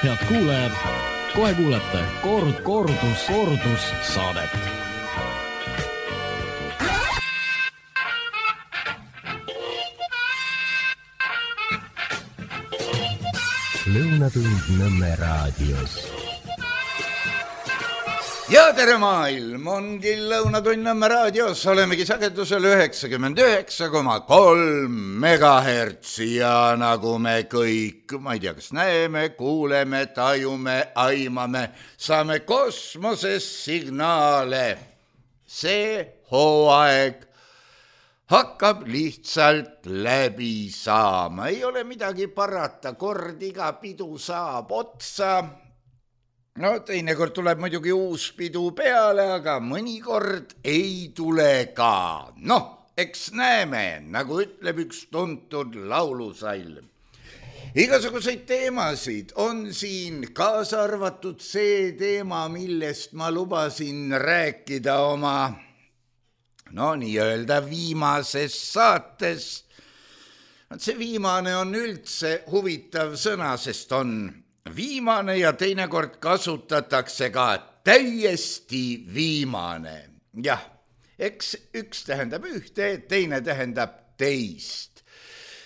Head kuulajad, kohe kuulete kordus saadet. Lõunatund Nõmme raadios. Ja tere maailm, ongi Lõunatund Nõmme raadios, olemegi sagedusel 99,3 megahertsi ja nagu me kõik, ma ei tea, kas näeme, kuuleme, tajume, aimame, saame kosmoses signaale. See hooaeg hakkab lihtsalt läbi saama, ei ole midagi parata, kord iga pidu saab otsa. No teinekord tuleb muidugi uus pidu peale, aga mõnikord ei tule ka. Noh, eks näeme, nagu ütleb üks tuntud laulusall. Igasuguseid teemasid on siin, kaasa arvatud see teema, millest ma lubasin rääkida oma nii-öelda viimases saates. See viimane on üldse huvitav sõna, sest on viimane ja teinekord kasutatakse ka täiesti viimane. Jah, eks üks tähendab ühte, teine tähendab teist.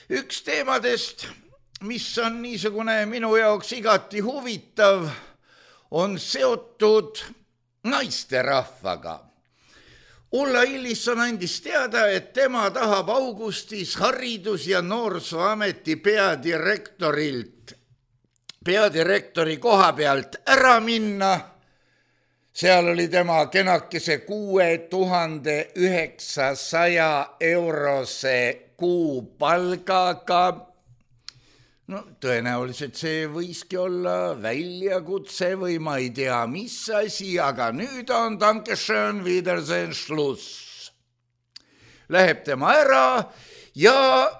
Üks teemadest, mis on niisugune minu jaoks igati huvitav, on seotud naisterahvaga. Ulla Illisson andis teada, et tema tahab augustis Haridus- ja Noorsooameti peadirektori koha pealt ära minna. Seal oli tema kenakese 6900 eurose kuupalgaga. Tõenäoliselt see võiski olla väljakutse või ma ei tea, mis asi, aga nüüd on Dankeschön, Wiedersehen, Schluss. Läheb tema ära ja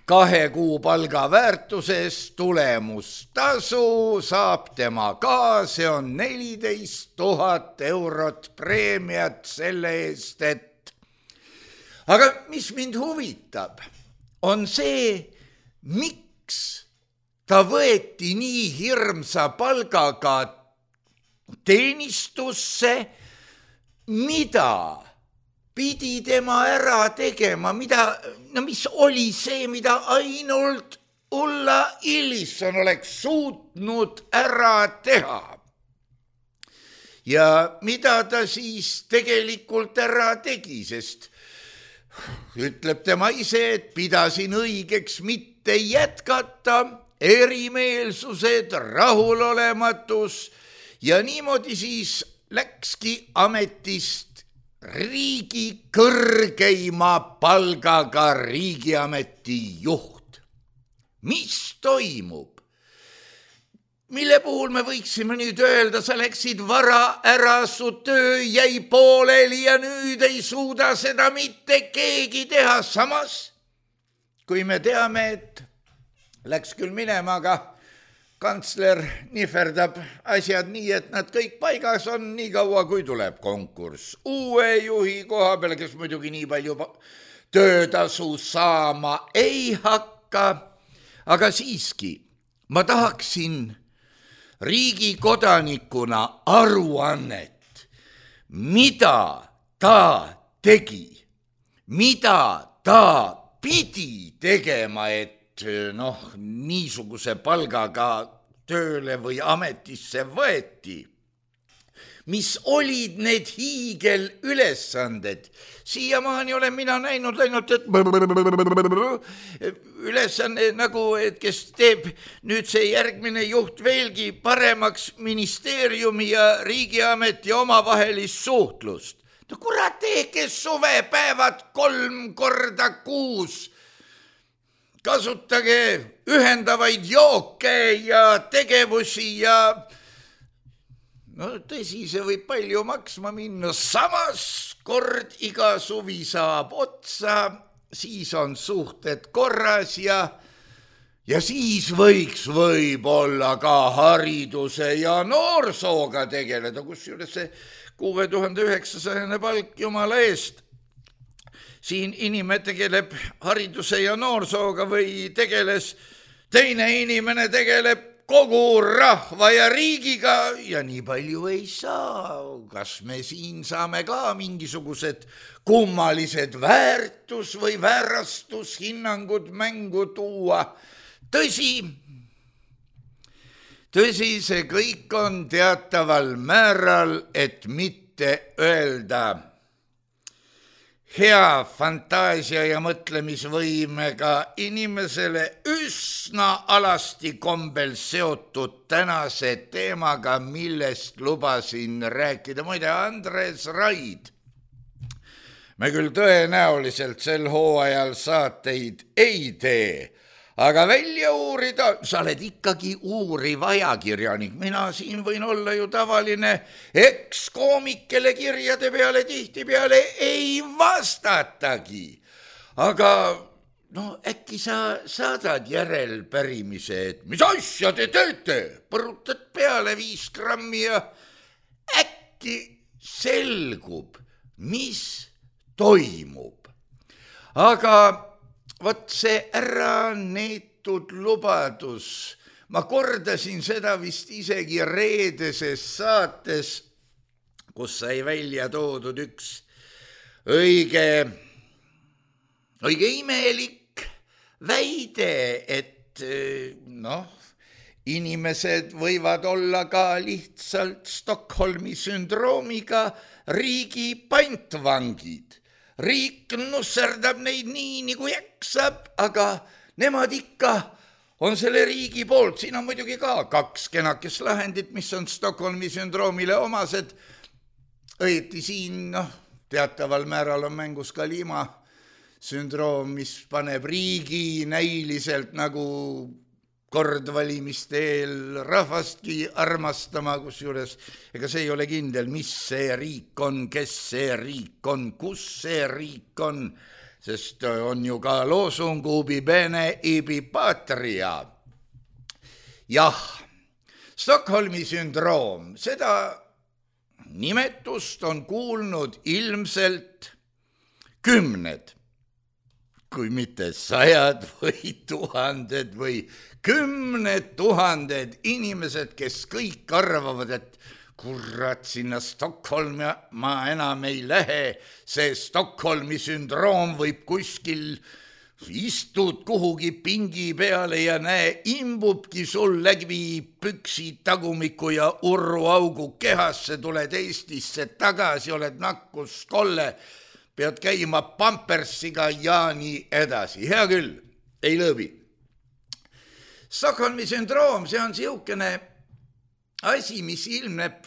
2 kuupalga väärtuses tulemustasu saab tema ka, see on 14 000 eurot preemiat selle eest, et... Aga mis mind huvitab, on see, miks ta võeti nii hirmsa palgaga teenistusse, mida pidi tema ära tegema, mis oli see, mida ainult Ulla Illisson oleks suutnud ära teha. Ja mida ta siis tegelikult ära tegi, sest ütleb tema ise, et pidasin õigeks mitte jätkata, erimeelsused, rahulolematus ja niimoodi siis läkski ametist riigi kõrgeima palgaga riigiameti juht. Mis toimub? Mille puhul me võiksime nüüd öelda, sa läksid vara ära, su töö jäi pooleli ja nüüd ei suuda seda mitte keegi teha. Samas, kui me teame, et läks küll minema, aga kantsler nihverdab asjad nii, et nad kõik paigas on nii kaua, kui tuleb konkurss uue juhi koha peale, kes muidugi nii palju töötasu saama ei hakka. Aga siiski, ma tahaksin riigi kodanikuna aruannet, mida ta tegi, mida ta pidi tegema, et niisuguse palgaga tööle või ametisse võeti. Mis olid need hiigelülesanded? Siiamaani olen mina näinud ainult, et ülesanne nagu, et kes teeb nüüd see järgmine juht veelgi paremaks ministeeriumi ja riigiameti omavahelist suhtlust. Kurat, tehke suvepäevad 3 korda kuus. Kasutage ühendavaid jooke ja tegevusi ja tõsi, see võib palju maksma minna. Samas kord iga suvi saab otsa, siis on suhted korras ja siis võiks võib-olla ka hariduse ja noorsooga tegeleda, kusjuures see 6900 palk jumala eest. Siin inimene tegeleb hariduse ja noorsooga või tegeles, teine inimene tegeleb kogu rahva ja riigiga ja nii palju ei saa. Kas me siin saame ka mingisugused kummalised väärtus- või väärastushinnangud mängu tuua? Tõsi, see kõik on teataval määral, et mitte öelda hea fantaasia ja mõtlemisvõimega inimesele üsna alasti kombel seotud tänase teemaga, millest lubasin rääkida. Muide, Andres Raid, me küll tõenäoliselt sel hooajal saateid ei tee, aga välja uurida, sa oled ikkagi uuriv ajakirjanik, mina siin võin olla ju tavaline ekskoomik, kelle kirjade peale tihtipeale ei vastatagi. Aga äkki sa saadad järelpärimise, et mis asja te teete, põrutad peale 5 grammi ja äkki selgub, mis toimub. Aga vot see ära neetud lubadus, ma kordasin seda vist isegi reedeses saates, kus sai välja toodud üks õige imelik väide, et inimesed võivad olla ka lihtsalt Stockholmi sündroomiga riigi pantvangid. Riik nusserdab neid nii, nagu jaksab, aga nemad ikka on selle riigi poolt. Siin on muidugi ka 2 kenakest lahendit, mis on Stockholmi sündroomile omased. Õieti siin teataval määral on mängus ka liimasündroom, mis paneb riigi näiliselt nagu kordvalimiste eel rahvastki armastama, kusjuures ega see ei ole kindel, mis see riik on, kes see riik on, kus see riik on, sest on ju ka loosung ubi bene ibi patria. Jah, Stockholmi sündroom, seda nimetust on kuulnud ilmselt 10, kui mitte 100 või 1000 või 10 000 inimesed, kes kõik arvavad, et kurat, sinna Stockholmi ma enam ei lähe, see Stockholmi sündroom võib kuskil, istud kuhugi pingi peale ja näe, imbubki sul läbi püksi tagumiku ja urruaugu kehasse, tuled Eestisse tagasi, oled nakkuskolle, pead käima pampersiga ja nii edasi. Hea küll, ei lõbi. Stockholmi sündroom, see on siukene asi, mis ilmneb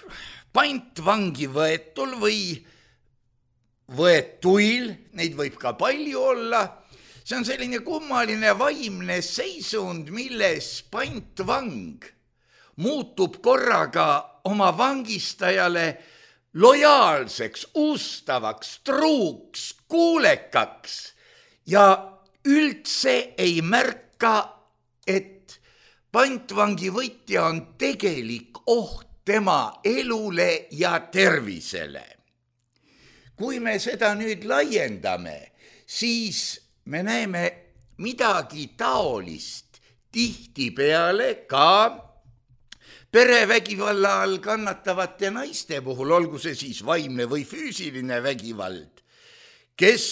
pantvangi võetul või võetuil, neid võib ka palju olla. See on selline kummaline vaimne seisund, milles pantvang muutub korraga oma vangistajale lojaalseks, ustavaks, truuks, kuulekaks ja üldse ei märka, et pantvangi võtja on tegelik oht tema elule ja tervisele. Kui me seda nüüd laiendame, siis me näeme midagi taolist tihtipeale ka perevägivalla all kannatavate naiste puhul, olgu see siis vaimne või füüsiline vägivald, kes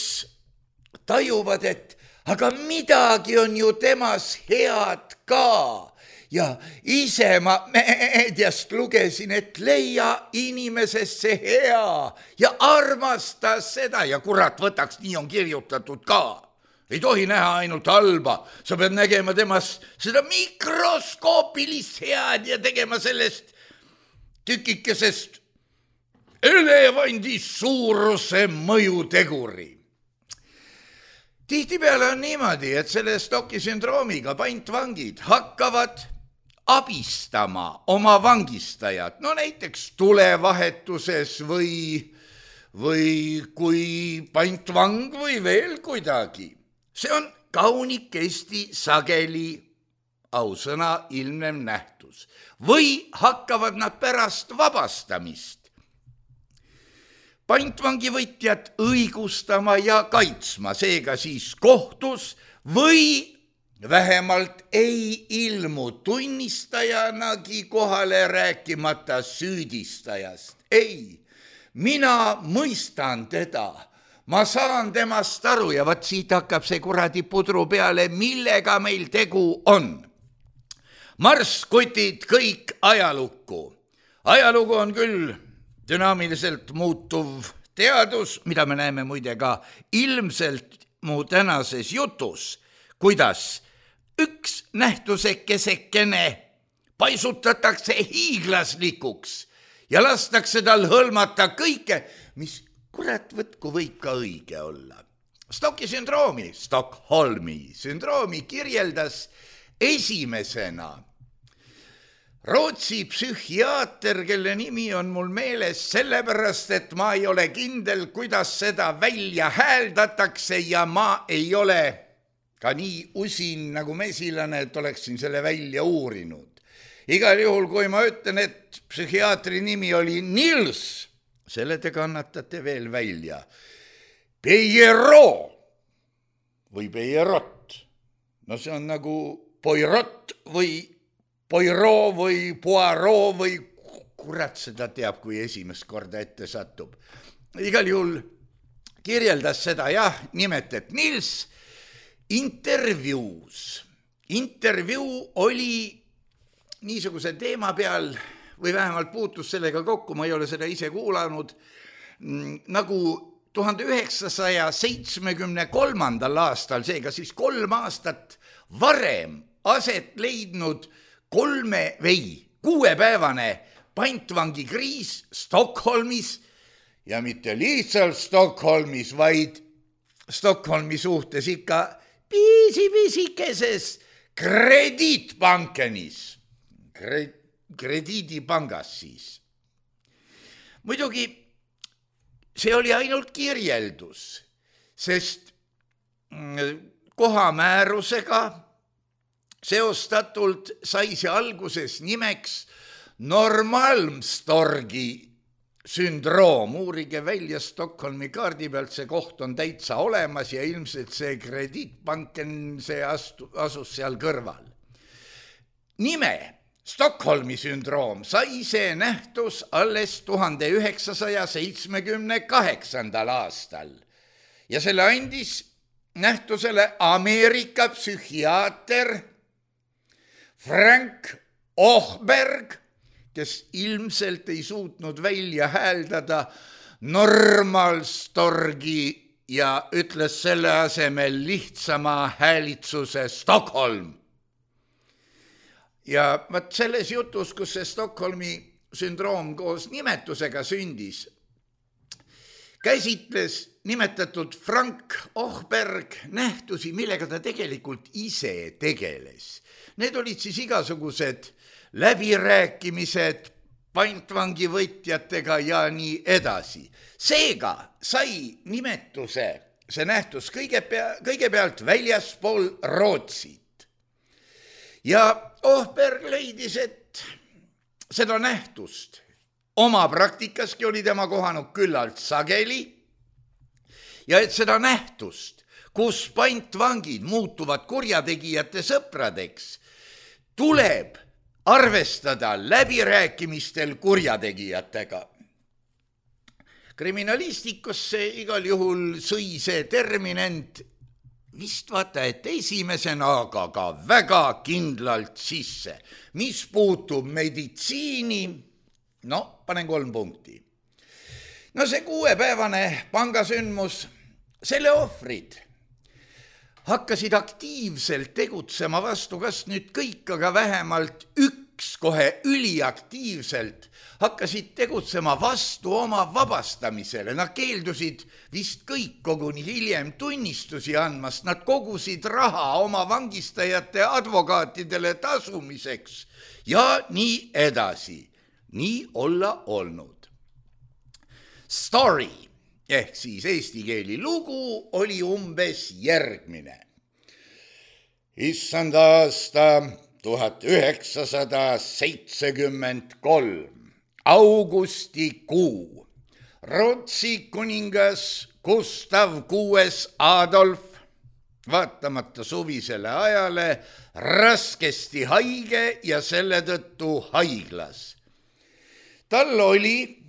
tajuvad, et aga midagi on ju temas head ka. Ja ise ma meediast lugesin, et leia inimesesse hea ja armasta seda ja kurat, võtaks, nii on kirjutatud ka. Ei tohi näha ainult halba, sa pead nägema temas seda mikroskoopilist head ja tegema sellest tükikesest elevandi suuruse mõjuteguri. Tihtipeale on niimoodi, et selle Stocki sündroomiga pantvangid hakkavad abistama oma vangistajat, näiteks tulevahetuses või kui pantvang või veel kuidagi. See on kaunikesti sageli ausõna ilmnev nähtus. Või hakkavad nad pärast vabastamist pantvangivõtjat õigustama ja kaitsma, seega siis kohtus või vähemalt ei ilmu tunnistajanagi kohale, rääkimata süüdistajast. Ei, mina mõistan teda, ma saan temast aru ja vaat siit hakkab see kuradi pudru peale, millega meil tegu on. Marskutid kõik ajalukku. Ajalugu on küll dünaamiliselt muutuv teadus, mida me näeme muide ka ilmselt mu tänases jutus, kuidas üks nähtusekesekene paisutatakse hiiglaslikuks ja lastakse tal hõlmata kõike, mis kurat võtku võib ka õige olla. Stockholmi sündroomi kirjeldas esimesena Rootsi psühhiaater, kelle nimi on mul meeles sellepärast, et ma ei ole kindel, kuidas seda välja hääldatakse ja ma ei ole ka nii usin nagu mesilane, et oleksin selle välja uurinud. Igal juhul, kui ma ütlen, et psühhiaatri nimi oli Nils, selle te kannatate veel välja. Pierrot või Pierrot. No see on nagu Poirot või Poirot või Poirot või kurat seda teab, kui esimest korda ette satub. Igal juhul kirjeldas seda, jah, nimetet Nils intervjuus. Intervjuu oli niisuguse teema peal või vähemalt puutus sellega kokku, ma ei ole seda ise kuulanud, nagu 1973. aastal, seega siis 3 aastat varem aset leidnud 6-päevane pantvangikriis Stockholmis ja mitte lihtsalt Stockholmis, vaid Stockholmi suhtes ikka pisikeses krediitpankenis, krediidipangas siis. Muidugi see oli ainult kirjeldus, sest kohamäärusega seostatult sai see alguses nimeks Normalmstorgi sündroom. Uurige välja Stockholmi kaardi pealt, see koht on täitsa olemas ja ilmselt see krediitpanken, see asus seal kõrval. Nime Stockholmi sündroom sai see nähtus alles 1978. aastal ja selle andis nähtusele Ameerika psühhiaater Frank Ohberg, kes ilmselt ei suutnud välja hääldada Normalmstorgi ja ütles selle asemel lihtsama häälitsuse Stockholm. Ja vaat selles jutus, kus see Stockholmi sündroom koos nimetusega sündis, käsitles nimetatud Frank Ohberg nähtusi, millega ta tegelikult ise tegeles. Need olid siis igasugused läbirääkimised pantvangivõtjatega ja nii edasi. Seega sai nimetuse see nähtus kõigepealt väljaspool Rootsit. Ja Ohberg leidis, et seda nähtust oma praktikaski oli tema kohanud küllalt sageli ja et seda nähtust, kus pantvangid muutuvad kurjategijate sõpradeks, tuleb arvestada läbirääkimistel kurjategijatega. Kriminalistikusse igal juhul sõi see terminent vist vaata, et esimesena, aga ka väga kindlalt sisse. Mis puutub meditsiini, no panen 3 punkti. No see 6-päevane pangasündmus, selle ohvrid hakkasid aktiivselt tegutsema vastu, kas nüüd kõik, aga vähemalt üks kohe üliaktiivselt hakkasid tegutsema vastu oma vabastamisele. Nad keeldusid vist kõik koguni hiljem tunnistusi andmast, nad kogusid raha oma vangistajate advokaatidele tasumiseks ja nii edasi. Nii olla olnud. Story ehk siis eesti keeli lugu oli umbes järgmine. Issand aasta 1973, augustikuu. Rootsi kuningas Gustav VI Adolf vaatamata suvisele ajale raskesti haige ja selle tõttu haiglas. Tal oli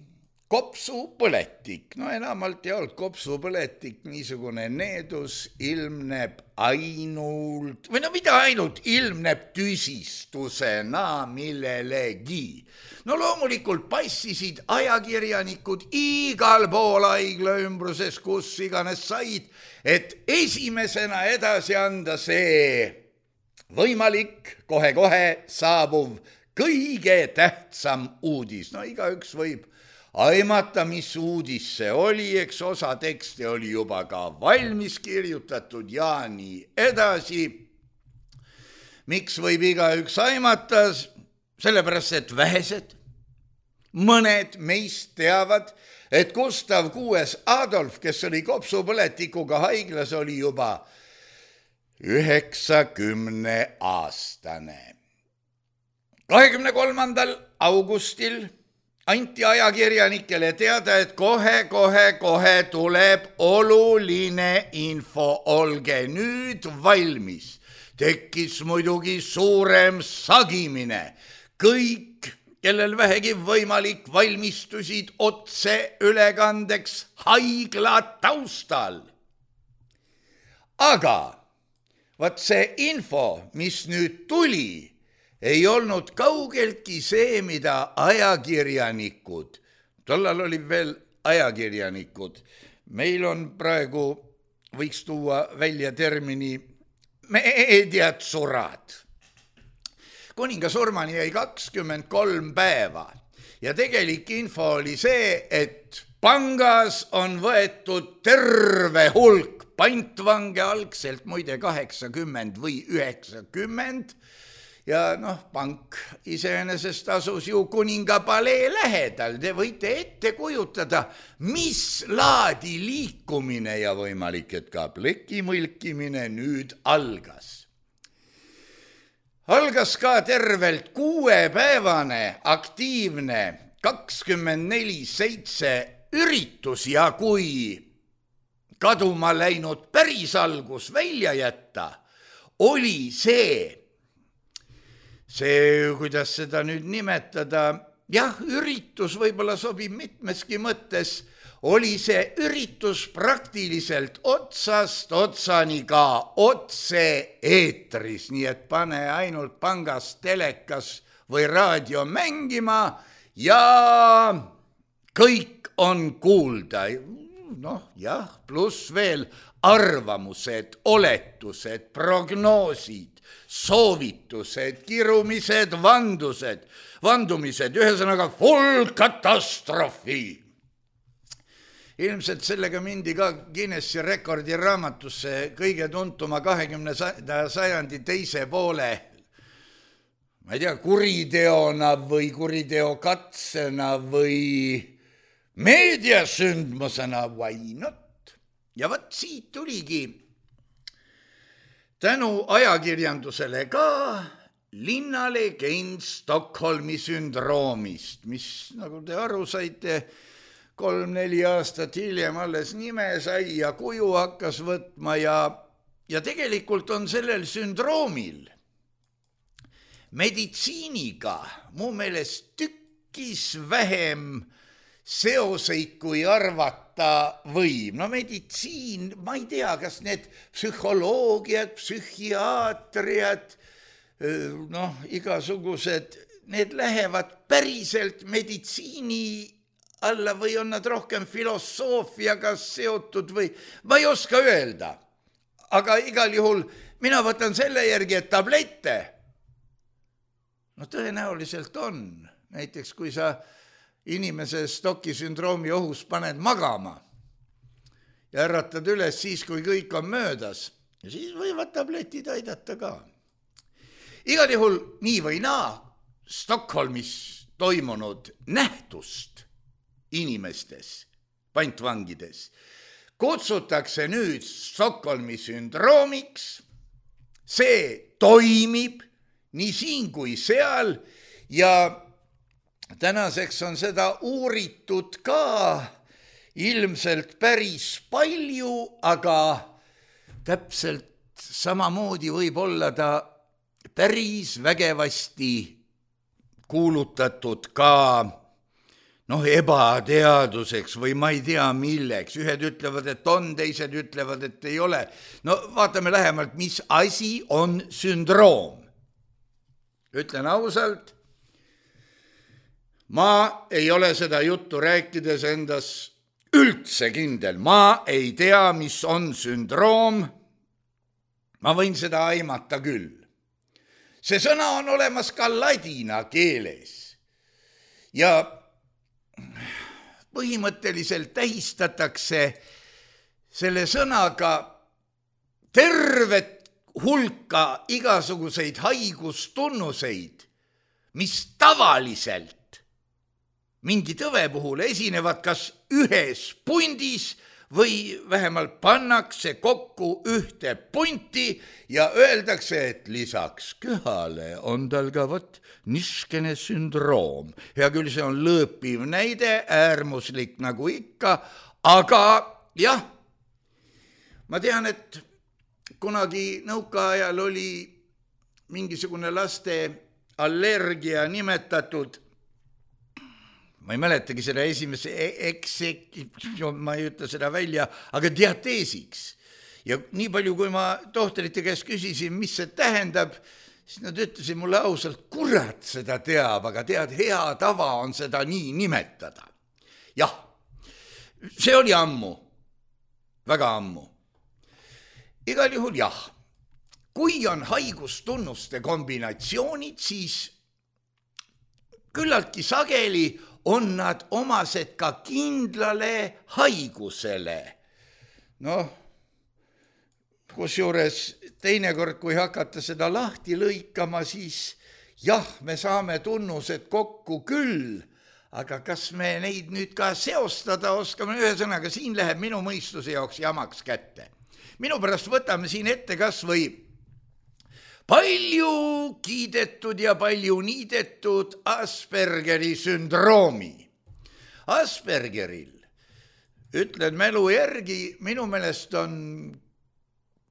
kopsupõletik, no enamalt ei olnud kopsupõletik, niisugune needus ilmneb ainult, või no mida ainult, ilmneb tüsistusena millelegi. No loomulikult passisid ajakirjanikud igal pool haigla ümbruses, kus iganes said, et esimesena edasi anda see võimalik, kohe-kohe saabuv kõige tähtsam uudis. No igaüks võib aimata, mis uudis see oli, eks osa tekste oli juba ka valmis kirjutatud ja nii edasi. Miks võib igaüks aimata? Sellepärast, et vähesed, mõned meist teavad, et Gustav VI Adolf, kes oli kopsupõletikuga haiglas, oli juba 90-aastane. 23. augustil anti ajakirjanikele teada, et kohe tuleb oluline info, olge nüüd valmis. Tekkis muidugi suurem sagimine. Kõik, kellel vähegi võimalik, valmistusid otseülekandeks haigla taustal. Aga vaat see info, mis nüüd tuli, ei olnud kaugeltki see, mida ajakirjanikud, tollal oli veel ajakirjanikud, meil on praegu, võiks tuua välja termini meediatsurad. Kuninga surmani jäi 23 päeva ja tegelik info oli see, et pangas on võetud terve hulk pantvange, algselt muide 80 või 90 ja pank iseenesest asus ju kuninga palee lähedal. Te võite ette kujutada, mis laadi liikumine ja võimalik, et ka plekimõlkimine nüüd algas. Algas ka tervelt 6-päevane aktiivne 24/7 üritus ja kui kaduma läinud päris algus välja jätta, oli see, kuidas seda nüüd nimetada, jah, üritus võib-olla sobib mitmeski mõttes, oli see üritus praktiliselt otsast otsani ka otse-eetris, nii et pane ainult pangas, telekas või raadio mängima ja kõik on kuulda. Jah, pluss veel arvamused, oletused, prognoosid, soovitused, kirumised, vandumised, ühesõnaga full katastroofi. Ilmselt sellega mindi ka Guinessi rekordiraamatusse kõige tuntuma 20. sajandi teise poole, ma ei tea, kuriteona või kuriteokatsena või meediasündmusena, why not? Ja võt siit tuligi tänu ajakirjandusele ka linnalegend Stockholmi sündroomist, mis, nagu te aru saite, 3-4 aastat hiljem alles nime sai ja kuju hakkas võtma ja tegelikult on sellel sündroomil meditsiiniga mu meelest tükkis vähem seoseid, kui arvata võib. Meditsiin, ma ei tea, kas need psühholoogiad, psühhiaatriad, igasugused, need lähevad päriselt meditsiini alla või on nad rohkem filosoofiaga seotud või ma ei oska öelda. Aga igal juhul mina võtan selle järgi, et tablette, tõenäoliselt on. Näiteks kui sa inimese Stocki sündroomi ohus paned magama ja äratad üles siis, kui kõik on möödas, ja siis võivad tabletid aidata ka. Igal juhul nii või naa Stockholmis toimunud nähtust inimestes, pantvangides, kutsutakse nüüd Stockholmi sündroomiks. See toimib nii siin kui seal ja tänaseks on seda uuritud ka ilmselt päris palju, aga täpselt samamoodi võib olla ta päris vägevasti kuulutatud ka ebateaduseks või ma ei tea milleks. Ühed ütlevad, et on, teised ütlevad, et ei ole. No vaatame lähemalt, mis asi on sündroom. Ütlen ausalt, ma ei ole seda juttu rääkides endas üldse kindel. Ma ei tea, mis on sündroom. Ma võin seda aimata küll. See sõna on olemas ka ladina keeles ja põhimõtteliselt tähistatakse selle sõnaga tervet hulka igasuguseid haigustunnuseid, mis tavaliselt mingi tõve puhul esinevad kas ühes pundis või vähemalt pannakse kokku ühte punti ja öeldakse, et lisaks köhale on tal ka niskene sündroom. Hea küll, see on lõõpiv näide, äärmuslik nagu ikka, aga jah, ma tean, et kunagi nõukaajal oli mingisugune laste allergia nimetatud, ma ei mäletagi seda esimese ma ei ütle seda välja, aga diateesiks. Ja nii palju, kui ma tohtrite käest küsisin, mis see tähendab, siis nad ütlesid mulle ausalt, kurat seda teab, aga tead, hea tava on seda nii nimetada. Jah, see oli ammu, väga ammu. Igal juhul jah, kui on haigustunnuste kombinatsioonid, siis küllaltki sageli on nad omased ka kindlale haigusele. Kusjuures teinekord, kui hakata seda lahti lõikama, siis jah, me saame tunnused kokku küll, aga kas me neid nüüd ka seostada oskame? Ühesõnaga, siin läheb minu mõistuse jaoks jamaks kätte. Minu pärast võtame siin ette kas või palju kiidetud ja palju niidetud Aspergeri sündroomi. Aspergeril, ütlen mälu järgi, minu meelest on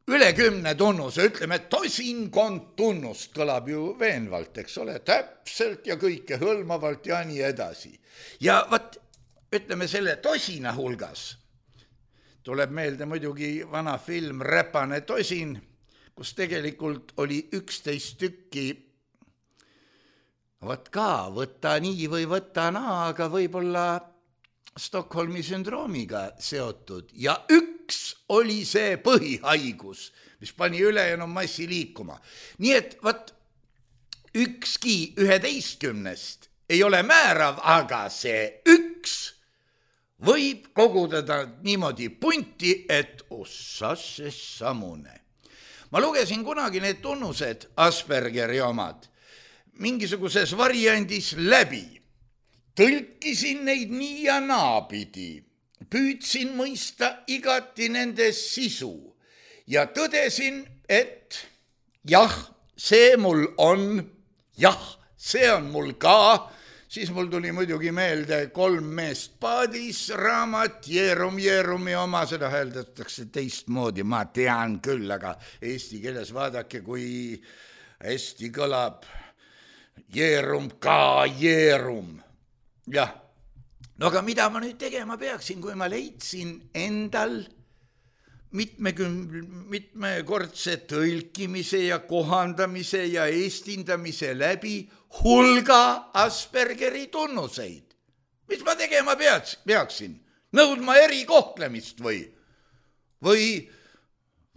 üle 10 tunnuse, ütleme, tosinkond tunnust, kõlab ju veenvalt, eks ole, täpselt ja kõike hõlmavalt ja nii edasi. Ja ütleme selle tosina hulgas, tuleb meelde muidugi vana film Räpane tosin, kus tegelikult oli 11 tükki, võta nii või võta naa, aga võib-olla Stockholmi sündroomiga seotud. Ja üks oli see põhihaigus, mis pani ülejäänud massi liikuma. Nii et ükski 11 ei ole määrav, aga see üks võib kogudada niimoodi punti, et ossas samune. Ma lugesin kunagi need tunnused, Aspergeri omad, mingisuguses variandis läbi. Tõlkisin neid nii ja naapidi, püüdsin mõista igati nende sisu ja tõdesin, et jah, see mul on, jah, see on mul ka. Siis mul tuli muidugi meelde 3 meest paadis raamat, Jeerumi oma, seda hääldatakse teistmoodi, ma tean küll, aga eesti keeles vaadake, kui hästi kõlab Jeerum ka Jeerum. Jah, no aga mida ma nüüd tegema peaksin, kui ma leidsin endal mitmekordse tõlkimise ja kohandamise ja eestindamise läbi hulga Aspergeri tunnuseid. Mis ma tegema peaksin? Nõudma erikohtlemist või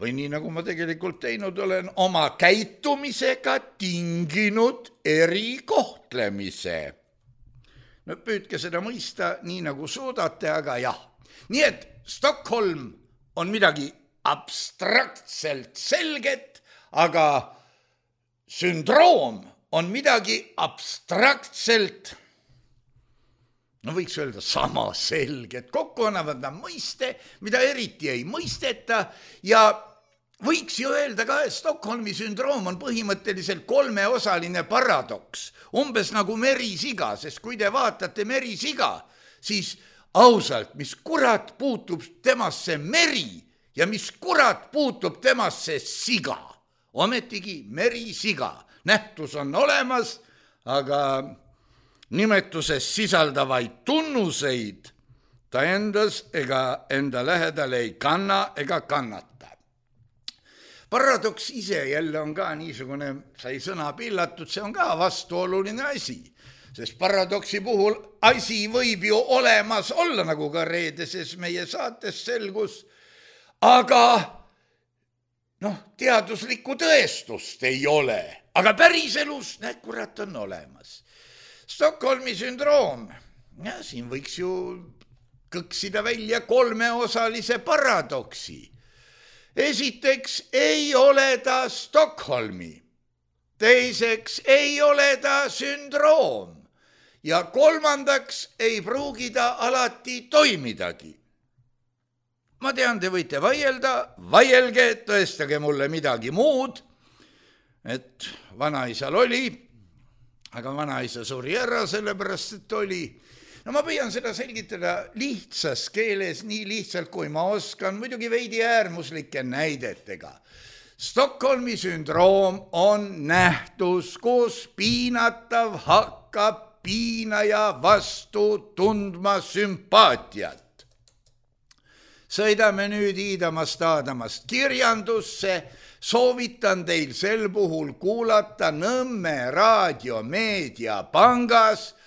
nii nagu ma tegelikult teinud olen, oma käitumisega tinginud erikohtlemise. No püüdke seda mõista nii nagu suudate, aga jah. Nii et Stockholm on midagi abstraktselt selget, aga sündroom on midagi abstraktselt, no võiks öelda sama selget. Kokku annavad nad mõiste, mida eriti ei mõisteta ja võiks ju öelda ka, et Stockholmi sündroom on põhimõtteliselt 3-osaline paradoks, umbes nagu merisiga, sest kui te vaatate merisiga, siis ausalt, mis kurat puutub temasse meri ja mis kurat puutub temasse siga, ometigi merisiga. Nähtus on olemas, aga nimetuses sisaldavaid tunnuseid ta endas ega enda lähedal ei kanna ega kannata. Paradoks ise jälle on ka niisugune, sai sõna pillatud, see on ka vastuoluline asi, sest paradoksi puhul asi võib ju olemas olla, nagu ka reedeses meie saates selgus, aga teaduslikku tõestust ei ole, aga päriselus, näed, kurat, on olemas. Stockholmi sündroom, ja siin võiks ju kõksida välja 3-osalise paradoksi. Esiteks ei ole ta Stockholmi, teiseks ei ole ta sündroom ja kolmandaks ei pruugi ta alati toimidagi. Ma tean, te võite vaielge, tõestage mulle midagi muud, et vanaisal oli, aga vanaisa suri ära, sellepärast et oli. No ma püüan seda selgitada lihtsas keeles, nii lihtsalt kui ma oskan, muidugi veidi äärmuslike näidetega. Stockholmi sündroom on nähtus, kus piinatav hakkab piinaja vastu tundma sümpaatiat. Sõidame nüüd Iidamast kirjandusse, soovitan teil sel puhul kuulata Nõmme raadiomeedia pangas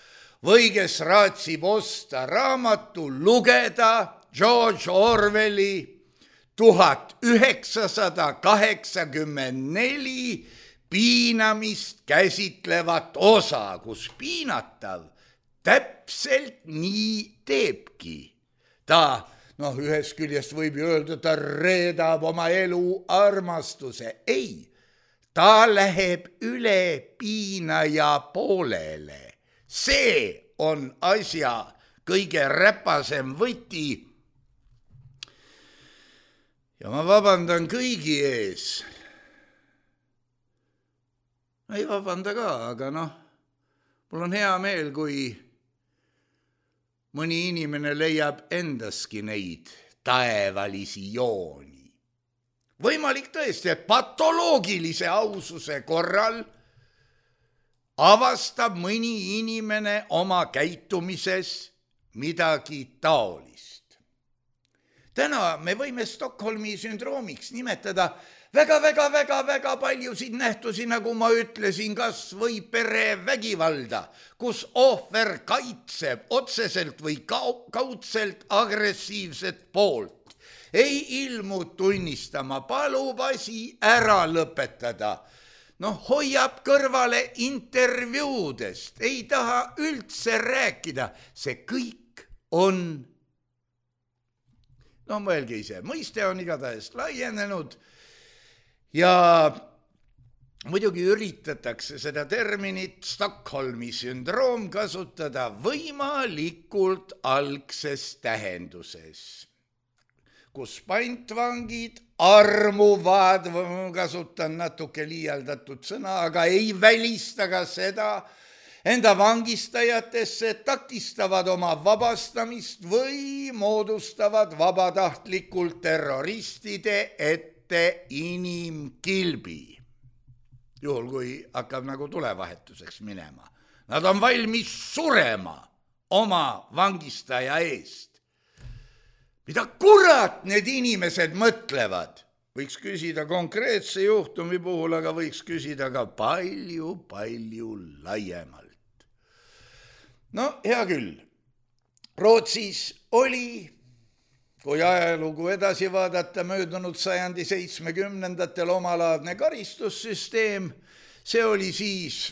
või kes raatsib osta raamatu, lugeda George Orwelli 1984 piinamist käsitlevat osa, kus piinatav täpselt nii teebki. Ta, ühest küljest võib ju öelda, ta reedab oma elu armastuse. Ei, ta läheb üle piinaja poolele. See on asja kõige räpasem võti. Ja ma vabandan kõigi ees. Ei vabanda ka, aga mul on hea meel, kui mõni inimene leiab endaski neid taevalisi jooni. Võimalik tõesti, et patoloogilise aususe korral avastab mõni inimene oma käitumises midagi taolist. Täna me võime Stockholmi sündroomiks nimetada väga paljusid nähtusi, nagu ma ütlesin, kas või perevägivalda, kus ohver kaitseb otseselt või kaudselt agressiivset poolt. Ei ilmu tunnistama, palub asi ära lõpetada. Hoiab kõrvale intervjuudest, ei taha üldse rääkida. See kõik on, mõelge ise, mõiste on igatahes laienenud ja muidugi üritatakse seda terminit Stockholmi sündroom kasutada võimalikult algses tähenduses, kus pantvangid armuvad, kasutan natuke liialdatud sõna, aga ei välista ka seda, enda vangistajatesse takistavad oma vabastamist või moodustavad vabatahtlikult terroristide ette inimkilbi. Juhul, kui hakkab nagu tulevahetuseks minema. Nad on valmis surema oma vangistaja eest. Mida kurat need inimesed mõtlevad? Võiks küsida konkreetse juhtumi puhul, aga võiks küsida ka palju laiemalt. Hea küll. Rootsis oli, kui ajalugu edasi vaadata, möödunud sajandi 70-ndatel omalaadne karistussüsteem. See oli siis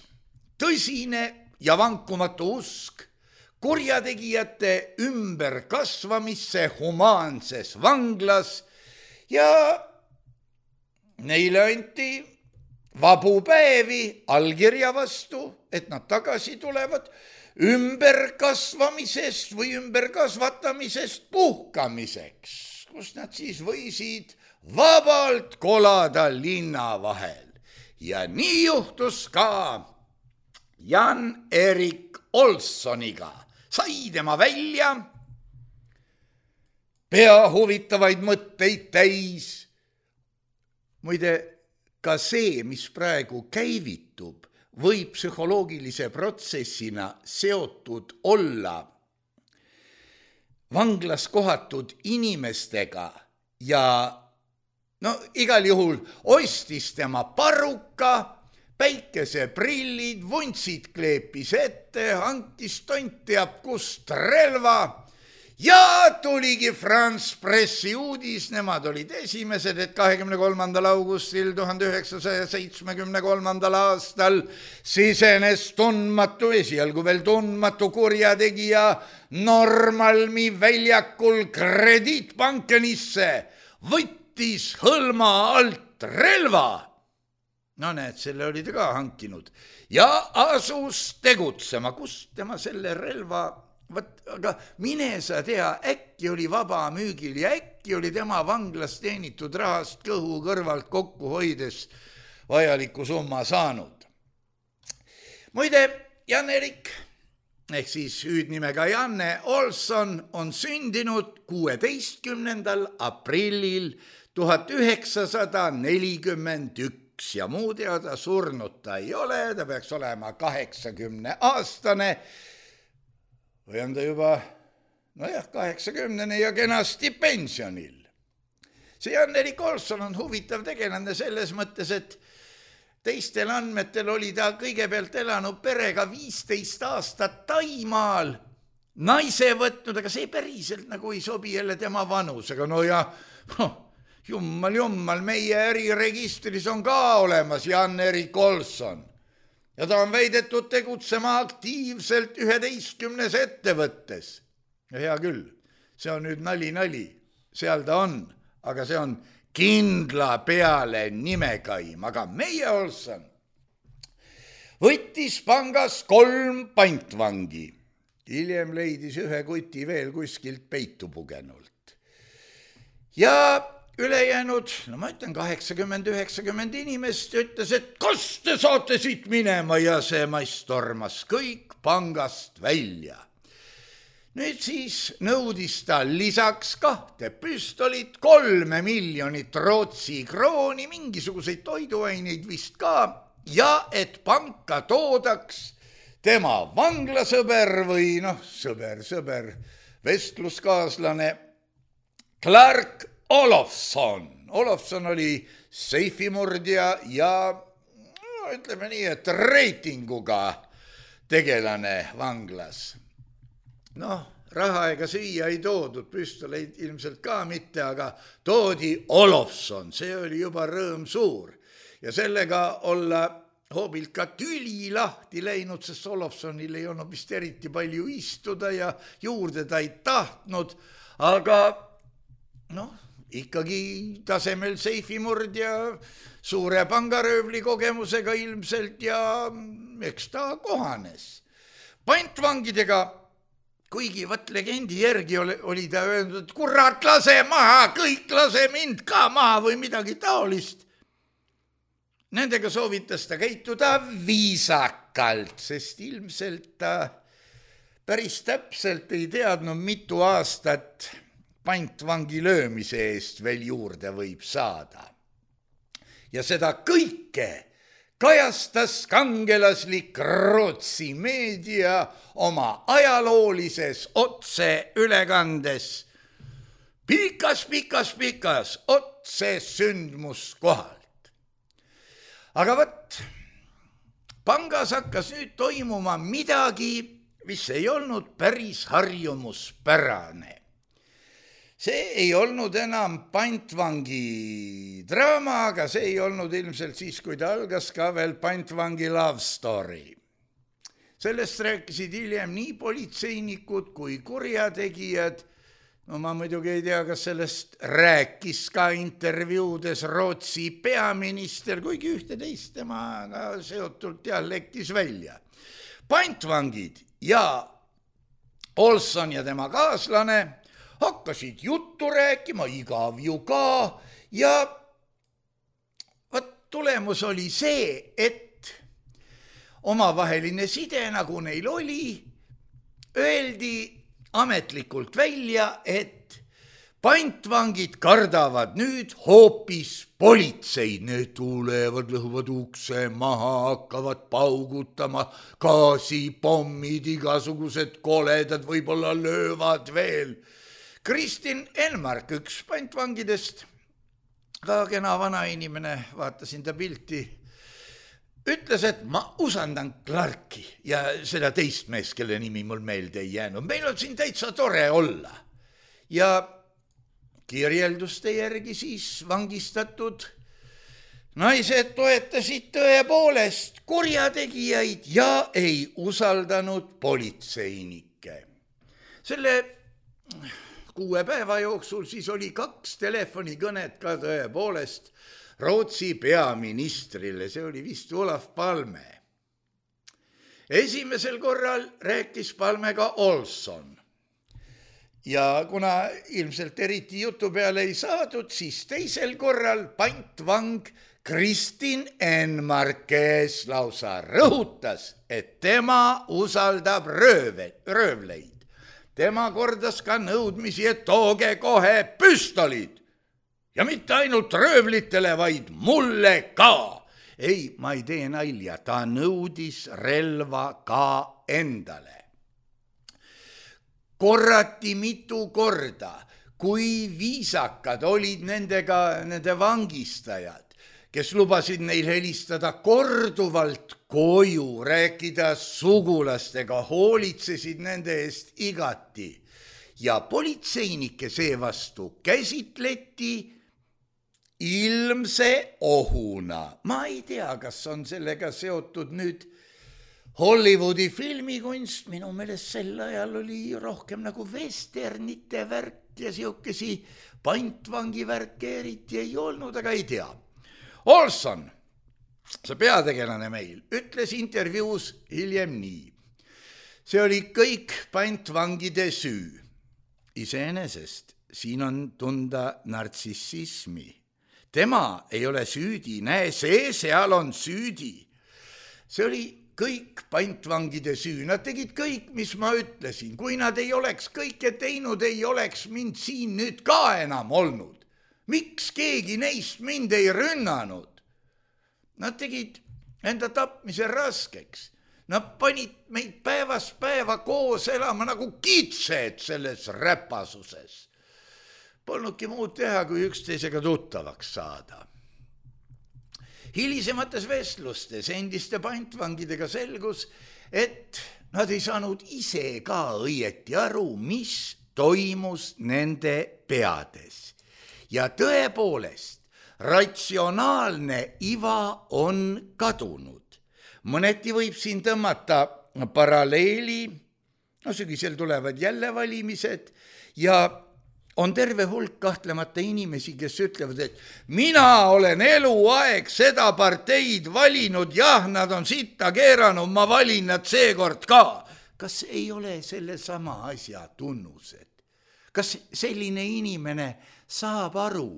tõsine ja vankumatu usk kurjategijate ümberkasvamisse humaanses vanglas ja neile anti vabu päevi allkirja vastu, et nad tagasi tulevad ümberkasvamisest või ümberkasvatamisest puhkamiseks, kus nad siis võisid vabalt kolada linna vahel. Ja nii juhtus ka Jan-Erik Olssoniga. Sai tema välja pea huvitavaid mõtteid täis. Muide, ka see, mis praegu käivitub, võib psühholoogilise protsessina seotud olla vanglas kohatud inimestega ja igal juhul ostis tema paruka, päikeseprillid, vuntsid kleepis ette, hankis tont teab kust relva ja tuligi France Pressi uudis, nemad olid esimesed, et 23. augustil 1973. aastal sisenes tundmatu, esialgu veel tundmatu kurjategija Normalmi väljakul Krediitbankenisse, võttis hõlma alt relva. No näed, selle oli ta ka hankinud ja asus tegutsema. Kust tema selle relva aga mine sa tea, äkki oli vaba müügil ja äkki oli tema vanglas teenitud rahast kõhu kõrvalt kokku hoides vajaliku summa saanud. Muide, Jan-Erik ehk siis hüüdnimega Janne Olson on sündinud 16. aprillil 1941 ja muu teada surnud ta ei ole, ta peaks olema 80-aastane või on ta juba, 80 ja kenasti pensionil. See Jan-Erik Olson on huvitav tegelane selles mõttes, et teistel andmetel oli ta kõigepealt elanud perega 15 aastat Taimaal, naise võtnud, aga see päriselt nagu ei sobi jälle tema vanusega. Jummal, meie äriregistris on ka olemas Jan-Erik Olson. Ja ta on väidetud tegutsema aktiivselt 11 ettevõttes. Ja hea küll, see on nüüd nali, seal ta on, aga see on kindla peale nimekaim. Aga meie Olson võttis pangas 3 pantvangi. Hiljem leidis ühe kuti veel kuskilt peitu pugenult. Ja ülejäänud, ma ütlen 80-90 inimest ütles, et kas te saate siit minema ja see mass tormas kõik pangast välja. Nüüd siis nõudis ta lisaks 2 püstolit, 3 miljonit Rootsi krooni, mingisuguseid toiduaineid vist ka ja et panka toodaks tema vanglasõber või sõber, vestluskaaslane Clark Olofsson. Olofsson oli seifimurdja ja ütleme nii, et reitinguga tegelane vanglas. Raha ega süüa ei toodud, püstoleid ilmselt ka mitte, aga toodi Olofsson, see oli juba rõõm suur. Ja sellega olla hoobilt ka tüli lahti läinud, sest Olofssonil ei olnud vist eriti palju istuda ja juurde ta ei tahtnud, aga ikkagi tasemel seifimurdja, suure pangaröövli kogemusega ilmselt ja eks ta kohanes. Pantvangidega, kuigi legendi järgi oli ta öelnud, et kurat, lase maha, kõik lase mind ka maha või midagi taolist. Nendega soovitas ta käituda viisakalt, sest ilmselt ta päris täpselt ei teadnud, mitu aastat pantvangi löömise eest veel juurde võib saada. Ja seda kõike kajastas kangelaslik Rootsi meedia oma ajaloolises otseülekandes pikas otse sündmuskohalt. Aga pangas hakkas nüüd toimuma midagi, mis ei olnud päris harjumuspärane. See ei olnud enam pantvangi draama, aga see ei olnud ilmselt siis, kui ta algas ka veel pantvangi love story. Sellest rääkisid hiljem nii politseinikud kui kurjategijad. Ma muidugi ei tea, kas sellest rääkis ka intervjuudes Rootsi peaminister, kuigi ühte-teist temaga seotult lekkis välja. Pantvangid ja Olson ja tema kaaslane hakkasid juttu rääkima, igav ju ka, ja tulemus oli see, et omavaheline side, nagu neil oli, öeldi ametlikult välja, et Pantvangid kardavad nüüd hoopis politseid, need tulevad, lõhuvad ukse maha, hakkavad paugutama, gaasipommid, igasugused koledad võib-olla löövad veel. Kristin Enmark, üks pantvangidest, ka kena vana inimene, vaatasin ta pilti, ütles, et ma usaldan Clarki ja seda teist meest, kelle nimi mul meelde ei jäänud. Meil on siin täitsa tore olla. Ja kirjelduste järgi siis vangistatud naised toetasid tõepoolest kurjategijaid ja ei usaldanud politseinikke. Selle 6 päeva jooksul siis oli 2 telefonikõnet ka tõepoolest Rootsi peaministrile, see oli vist Olof Palme. Esimesel korral rääkis Palmega Olson. Ja kuna ilmselt eriti jutu peale ei saadud, siis teisel korral pantvang Kristin Enmark, kes lausa rõhutas, et tema usaldab röövleid. Tema kordas ka nõudmisi, et tooge kohe püstolid. Ja mitte ainult röövlitele, vaid mulle ka. Ei, ma ei tee nalja, ta nõudis relva ka endale. Korrati mitu korda, kui viisakad olid nende vangistajad, kes lubasid neil helistada korduvalt koju, rääkida sugulastega, hoolitsesid nende eest igati. Ja politseinikke seevastu käsitleti ilmse ohuna. Ma ei tea, kas on sellega seotud nüüd Hollywoodi filmikunst, minu meelest sel ajal oli rohkem nagu westernite värk ja siukesi pantvangi värke eriti ei olnud, aga ei tea. Olson, see peategelane meil, ütles intervjuus hiljem nii. See oli kõik pantvangide süü. Iseenesest siin on tunda nartsissismi. Tema ei ole süüdi, näe, see seal on süüdi. See oli kõik pantvangide süü, nad tegid kõik, mis ma ütlesin. Kui nad ei oleks kõike teinud, ei oleks mind siin nüüd ka enam olnud. Miks keegi neist mind ei rünnanud? Nad tegid enda tapmise raskeks. Nad panid meid päevast päeva koos elama nagu kitsed selles räpasuses. Polnudki muud teha, kui üksteisega tuttavaks saada. Hilisemates vestlustes endiste pantvangidega selgus, et nad ei saanud ise ka õieti aru, mis toimus nende peades. Ja tõepoolest, ratsionaalne iva on kadunud. Mõneti võib siin tõmmata paralleeli, sügisel tulevad jälle valimised ja on terve hulk kahtlemata inimesi, kes ütlevad, et mina olen eluaeg seda parteid valinud, jah, nad on sitta keeranud, ma valin nad seekord ka. Kas ei ole selle sama asja tunnused? Kas selline inimene saab aru?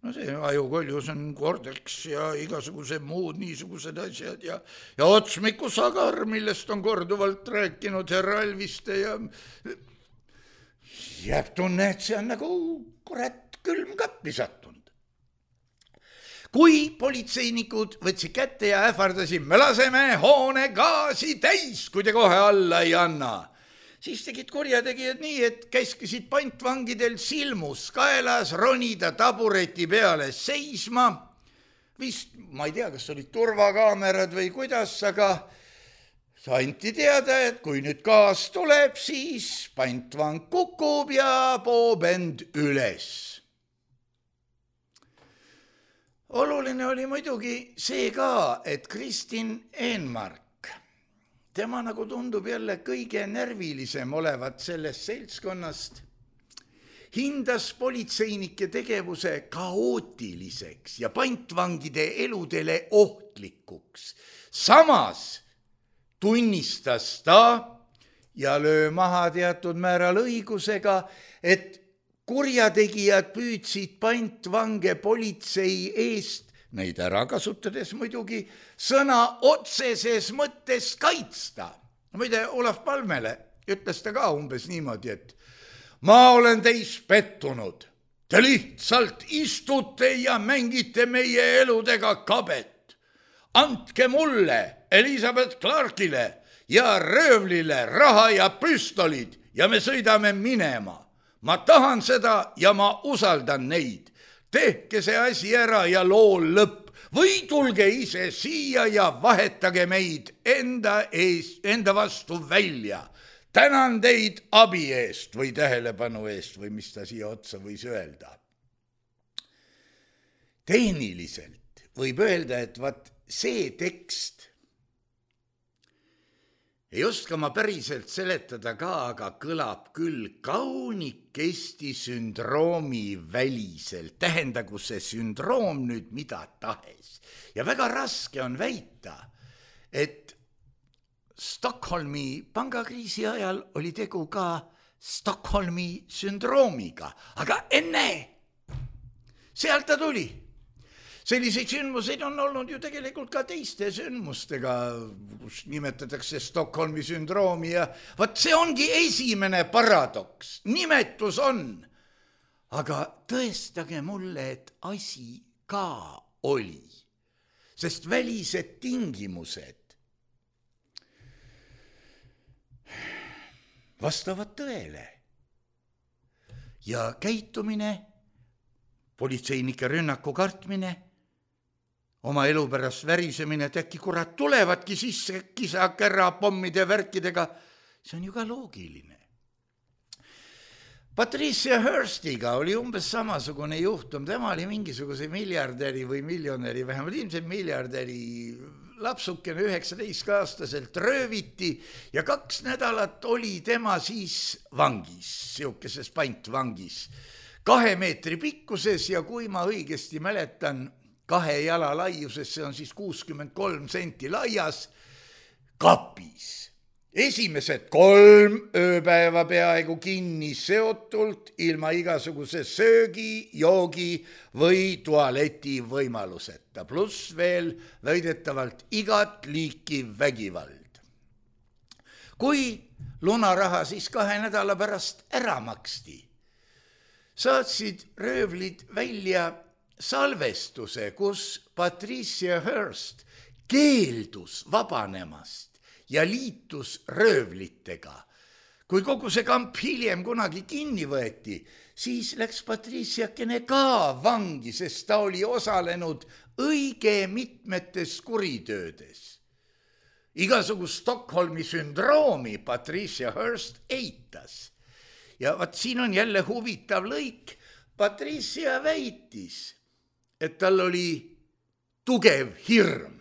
No see ajukoljus on kordeks ja igasugused muud niisugused asjad ja otsmiku sagar, millest on korduvalt rääkinud härra Alviste ja jääb tunne, et see on nagu kurat külmkappi sattunud. Kui politseinikud võtsid kätte ja ähvardasid, me laseme hoone gaasi täis, kui te kohe alla ei anna, siis tegid kurjategijad nii, et käskisid pantvangidel silmus kaelas ronida tabureti peale seisma. Vist, ma ei tea, kas olid turvakaamerad või kuidas, aga anti teada, et kui nüüd gaas tuleb, siis pantvang kukub ja poob end üles. Oluline oli muidugi see ka, et Kristin Enmark, tema nagu tundub jälle kõige närvilisem olevat sellest seltskonnast, hindas politseinike tegevuse kaootiliseks ja pantvangide eludele ohtlikuks. Samas tunnistas ta ja löö maha teatud määral õigusega, et kurjategijad püüdsid pantvange politsei eest, neid ära kasutades muidugi, sõna otseses mõttes kaitsta. Muide, Olof Palmele ütles ta ka umbes niimoodi, et ma olen teis pettunud. Te lihtsalt istute ja mängite meie eludega kabet. Andke mulle, Elizabeth Clarkile ja röövlile raha ja püstolid ja me sõidame minema. Ma tahan seda ja ma usaldan neid. Tehke see asi ära ja loo lõpp. Või tulge ise siia ja vahetage meid enda vastu välja. Tänan teid abi eest või tähelepanu eest või mis ta siia otsa võis öelda. Tehniliselt võib öelda, et vaat see tekst ei oska ma päriselt seletada ka, aga kõlab küll kaunikesti sündroomi väliselt. Tähendagu see sündroom nüüd mida tahes. Ja väga raske on väita, et Stockholmi pangakriisi ajal oli tegu ka Stockholmi sündroomiga. Aga enne, sealt ta tuli. Selliseid sündmuseid on olnud ju tegelikult ka teiste sündmustega, kus nimetatakse Stockholmi sündroomi ja vaat see ongi esimene paradoks. Nimetus on, aga tõestage mulle, et asi ka oli, sest välised tingimused vastavad tõele ja käitumine, politseinike rünnaku kartmine, oma elu pärast värisemine, et äkki kurat tulevadki sisse kisa-kärra pommide värkidega, see on ju ka loogiline. Patricia Hearstiga oli umbes samasugune juhtum, tema oli mingisuguse miljardäri või miljonäri, vähemalt ilmselt miljardäri lapsukene 19-aastaselt rööviti ja 2 nädalat oli tema siis vangis, siukeses pantvangis, 2 meetri pikkuses ja kui ma õigesti mäletan, 2 jala laiuses, see on siis 63 senti laias, kapis. Esimesed 3 ööpäeva peaaegu kinni seotult, ilma igasuguse söögi, joogi või tualeti võimaluseta, pluss veel väidetavalt igat liiki vägivald. Kui lunaraha siis 2 nädala pärast ära maksti, saatsid röövlid välja salvestuse, kus Patricia Hearst keeldus vabanemast ja liitus röövlitega. Kui kogu see kamp hiljem kunagi kinni võeti, siis läks Patriciakene ka vangi, sest ta oli osalenud õige mitmetes kuritöödes. Igasugust Stockholmi sündroomi Patricia Hearst eitas. Ja vaat siin on jälle huvitav lõik. Patricia väitis, et tal oli tugev hirm.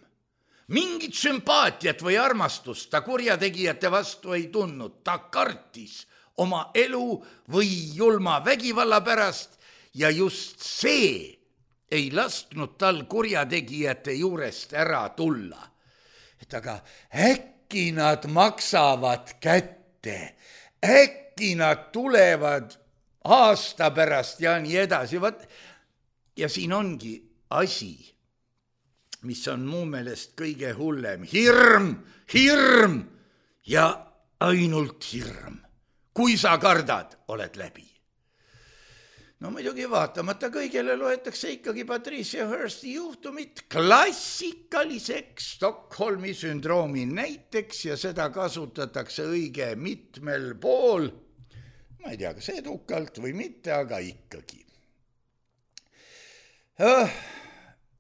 Mingit sümpaatiat või armastust ta kurjategijate vastu ei tundnud. Ta kartis oma elu või julma vägivalla pärast ja just see ei lasknud tal kurjategijate juurest ära tulla. Et aga äkki nad maksavad kätte, äkki nad tulevad aasta pärast ja nii edasi. Ja siin ongi asi, mis on mu meelest kõige hullem. Hirm ja ainult hirm. Kui sa kardad, oled läbi. No muidugi vaatamata kõigele loetakse ikkagi Patricia Hearsti juhtumit klassikaliseks Stockholmi sündroomi näiteks ja seda kasutatakse õige mitmel pool. Ma ei tea, kas edukalt või mitte, aga ikkagi.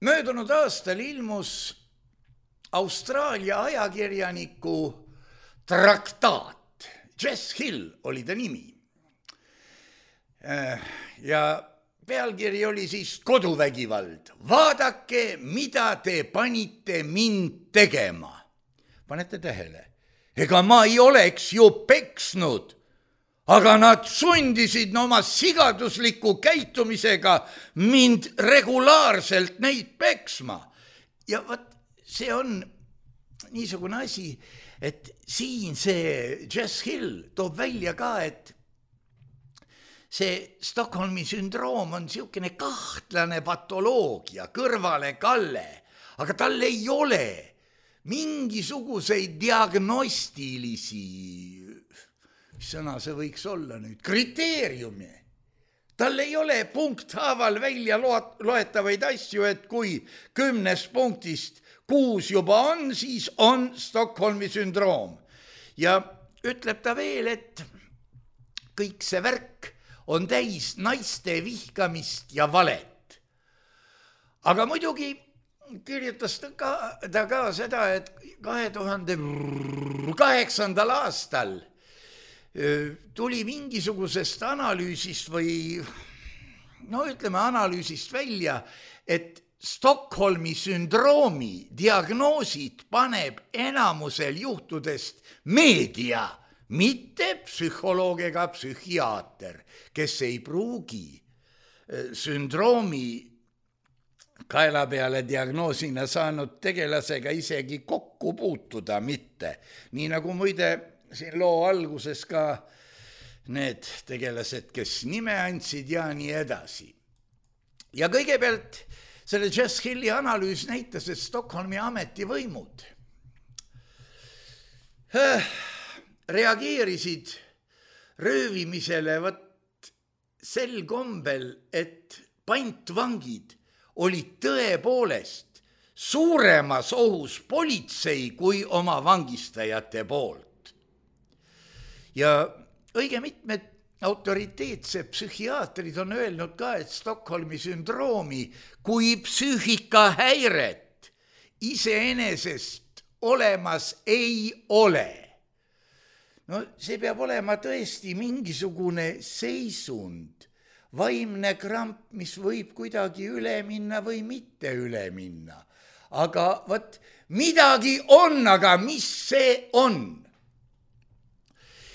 Möödunud aastal ilmus Austraalia ajakirjaniku traktaat. Jess Hill oli ta nimi. Ja pealkiri oli siis koduvägivald. Vaadake, mida te panite mind tegema. Panete tähele? Ega ma ei oleks ju peksnud. Aga nad sundisid oma sigadusliku käitumisega mind regulaarselt neid peksma. Ja vaat see on niisugune asi, et siin see Jess Hill toob välja ka, et see Stockholmi sündroom on siukene kahtlane patoloogia, kõrvalekalle, aga tal ei ole mingisuguseid diagnostilisi mis sõna see võiks olla nüüd, kriteeriumi. Tal ei ole punkthaaval välja loetavaid asju, et kui 10 punktist 6 juba on, siis on Stockholmi sündroom. Ja ütleb ta veel, et kõik see värk on täis naiste vihkamist ja valet. Aga muidugi kirjutas ta ka seda, et 2008. aastal tuli mingisugusest analüüsist või analüüsist välja, et Stockholmi sündroomi diagnoosid paneb enamusel juhtudest meedia, mitte psühholoog ega psühhiaater, kes ei pruugi sündroomi kaela peale diagnoosina saanud tegelasega isegi kokku puutuda mitte. Nii nagu muide siin loo alguses ka need tegelased, kes nime andsid ja nii edasi. Ja kõigepealt selle Jess Hilli analüüs näitas, et Stockholmi ametivõimud reageerisid röövimisele sel kombel, et pantvangid olid tõepoolest suuremas ohus politsei kui oma vangistajate poolt. Ja õige mitmed autoriteetsed psühhiaatrid on öelnud ka, et Stockholmi sündroomi kui psüühikahäiret iseenesest olemas ei ole. See peab olema tõesti mingisugune seisund, vaimne kramp, mis võib kuidagi üle minna või mitte üle minna. Aga midagi on, aga mis see on?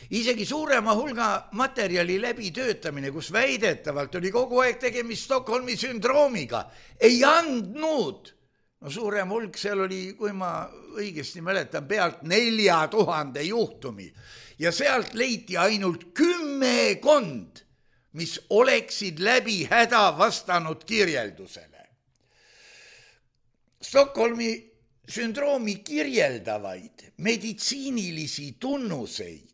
Isegi suurema hulga materjali läbitöötamine, kus väidetavalt oli kogu aeg tegemist Stockholmi sündroomiga, ei andnud. Suurem hulk seal oli, kui ma õigesti mäletan, pealt 4000 juhtumi. Ja sealt leiti ainult 10, mis oleksid läbi häda vastanud kirjeldusele. Stockholmi sündroomi kirjeldavaid meditsiinilisi tunnuseid,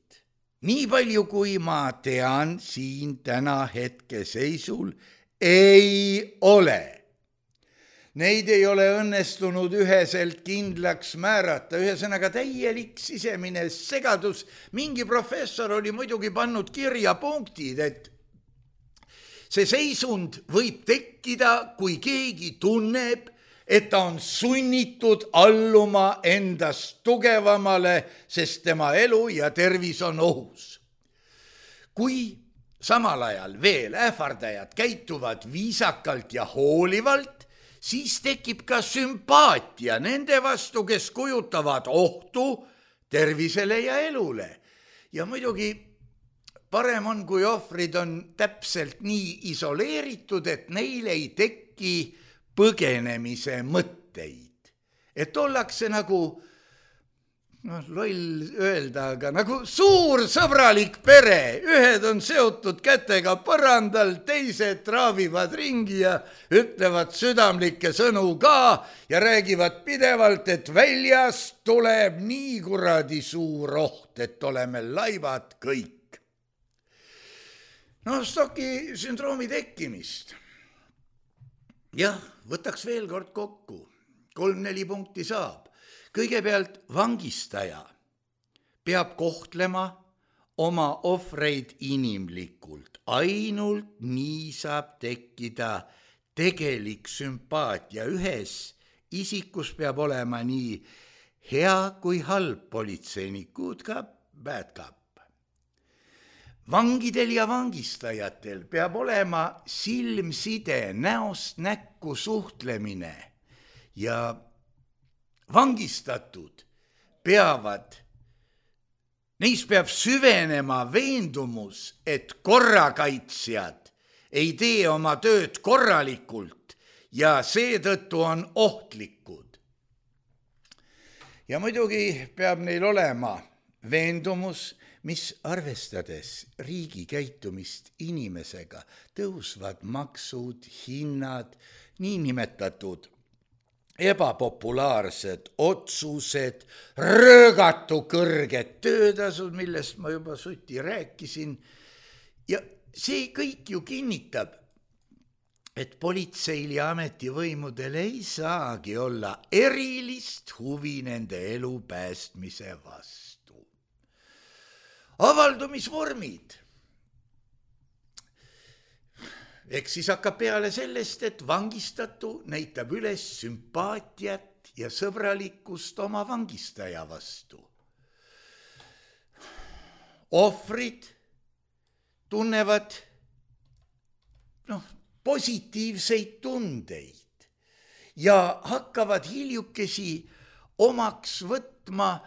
nii palju kui ma tean siin täna hetkeseisul, ei ole. Neid ei ole õnnestunud üheselt kindlaks määrata, ühesõnaga täielik sisemine segadus. Mingi professor oli muidugi pannud kirja punktid, et see seisund võib tekkida, kui keegi tunneb, et ta on sunnitud alluma endast tugevamale, sest tema elu ja tervis on ohus. Kui samal ajal veel ähvardajad käituvad viisakalt ja hoolivalt, siis tekib ka sümpaatia nende vastu, kes kujutavad ohtu tervisele ja elule. Ja muidugi parem on, kui ohvrid on täpselt nii isoleeritud, et neil ei teki põgenemise mõtteid. Et ollakse nagu, loll öelda, aga nagu suur sõbralik pere. Ühed on seotud kätega põrandal, teised traavivad ringi ja ütlevad südamlikke sõnu ka ja räägivad pidevalt, et väljast tuleb nii kuradi suur oht, et oleme laivad kõik. Stocki sündroomi tekkimist. Jah, võtaks veel kord kokku. 3-4 punkti saab. Kõigepealt vangistaja peab kohtlema oma ohvreid inimlikult. Ainult nii saab tekkida tegelik sümpaatia. Ühes isikus peab olema nii hea kui halb politseinikud, ka bad cop. Vangidel ja vangistajatel peab olema silmside, näost näkku suhtlemine ja vangistatud neis peab süvenema veendumus, et korrakaitsjad ei tee oma tööd korralikult ja seetõttu on ohtlikud. Ja muidugi peab neil olema veendumus, mis arvestades riigi käitumist inimesega, tõusvad maksud, hinnad, niinimetatud ebapopulaarsed otsused, röögatu kõrged töötasud, millest ma juba suti rääkisin. Ja see kõik ju kinnitab, et politseil ja ametivõimudel ei saagi olla erilist huvi nende elu päästmise vastu. Avaldumisvormid. Eks siis hakkab peale sellest, et vangistatu näitab üles sümpaatiat ja sõbralikkust oma vangistaja vastu. Ohvrid tunnevad positiivseid tundeid ja hakkavad hiljukesi omaks võtma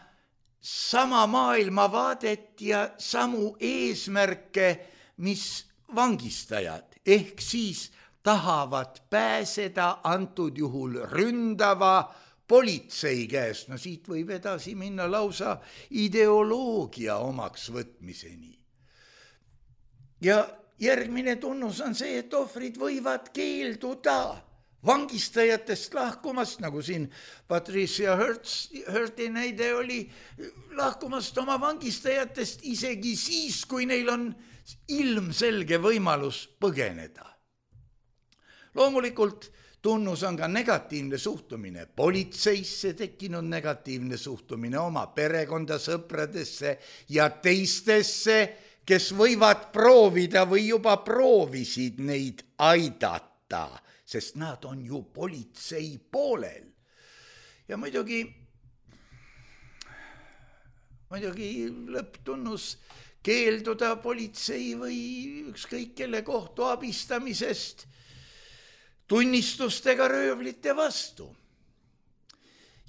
sama maailmavaadet ja samu eesmärke, mis vangistajad, ehk siis tahavad pääseda antud juhul ründava politsei käest. No siit võib edasi minna lausa ideoloogia omaks võtmiseni. Ja järgmine tunnus on see, et ohvrid võivad keelduda vangistajatest lahkumast, nagu siin Patricia Hirti näide oli, lahkumast oma vangistajatest isegi siis, kui neil on ilmselge võimalus põgeneda. Loomulikult tunnus on ka negatiivne suhtumine politseisse, tekkinud negatiivne suhtumine oma perekonda, sõpradesse ja teistesse, kes võivad proovida või juba proovisid neid aidata, sest nad on ju politsei poolel. Ja muidugi lõpptunnus keelduda politsei või ükskõik kelle kohtu abistamisest tunnistustega röövlite vastu.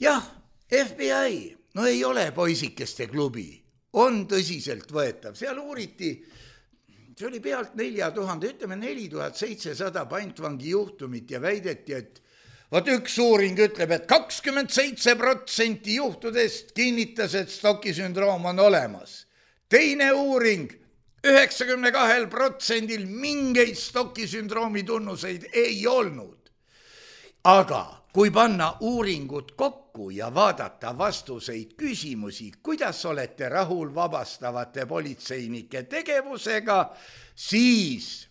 Jah, FBI, no ei ole poisikeste klubi, on tõsiselt võetav. Seal uuriti, see oli pealt 4000, ütleme 4700 pantvangi juhtumit ja väideti, et üks uuring ütleb, et 27% juhtudest kinnitas, et Stocki sündroom on olemas. Teine uuring, 92% mingeid Stocki sündroomi tunnuseid ei olnud. Aga kui panna uuringud kokku ja vaadata vastuseid küsimusi, kuidas olete rahul vabastavate politseinike tegevusega, siis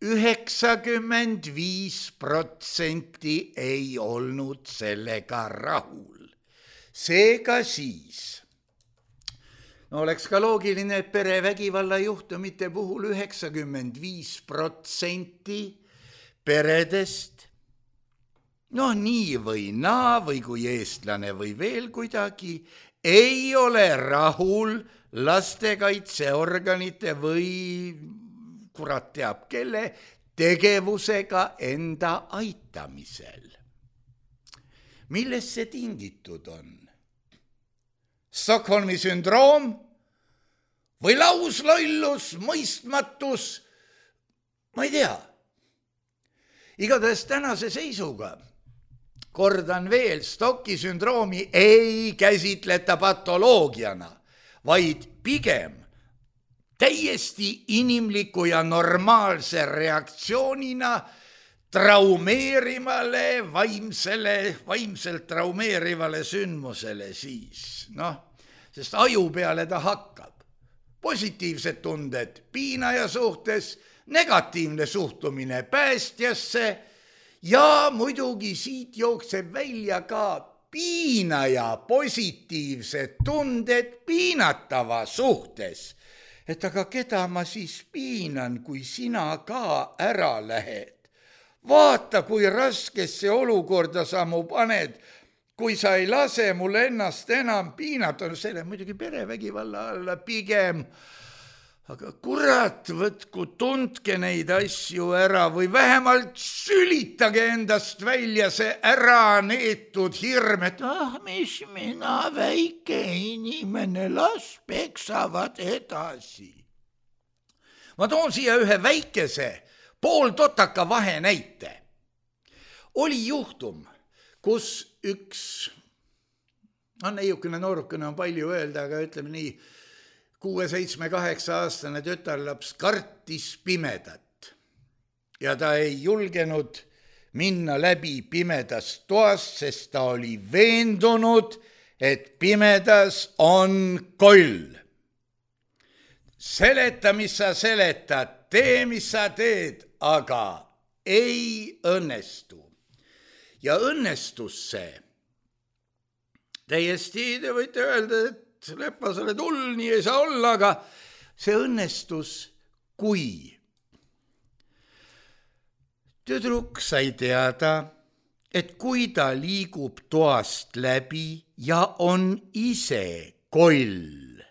95% ei olnud sellega rahul. Seega siis oleks ka loogiline, et perevägivalla juhtumite puhul 95% peredest nii või naa või kui eestlane või veel kuidagi ei ole rahul lastekaitseorganite või kurat teab kelle tegevusega enda aitamisel. Millest see tingitud on? Stockholmi sündroom või lauslollus, mõistmatus, ma ei tea. Igatahes tänase seisuga, kordan veel, Stocki sündroomi ei käsitleta patoloogiana, vaid pigem täiesti inimliku ja normaalse reaktsioonina traumeerimale, vaimselt traumeerivale sündmusele siis. Sest aju peale ta hakkab. Positiivsed tunded piinaja suhtes, negatiivne suhtumine päästjasse ja muidugi siit jookseb välja ka piinaja positiivsed tunded piinatava suhtes. Et aga keda ma siis piinan, kui sina ka ära lähed? Vaata, kui raskesse olukorda sa mu paned, kui sa ei lase mul ennast enam piinata. Selle muidugi perevägivalla alla pigem. Aga kurat, võtku, tundke neid asju ära või vähemalt sülitage endast välja see ära neetud hirm, et mis mina, väike inimene, las peksavad edasi. Ma toon siia ühe väikese pooltotaka vahe näite. Oli juhtum, kus üks, neiukene noorukene on palju öelda, aga ütleme nii, 6-7-8-aastane tütarlaps kartis pimedat ja ta ei julgenud minna läbi pimedas toas, sest ta oli veendunud, et pimedas on koll. Seleta, mis sa seletad, tee, mis sa teed, aga ei õnnestu. Ja õnnestus see. Täiesti te võite öelda, et Leppa, sa oled hull, nii ei saa olla, aga see õnnestus, kui tüdruk sai teada, et kui ta liigub toast läbi ja on ise koll,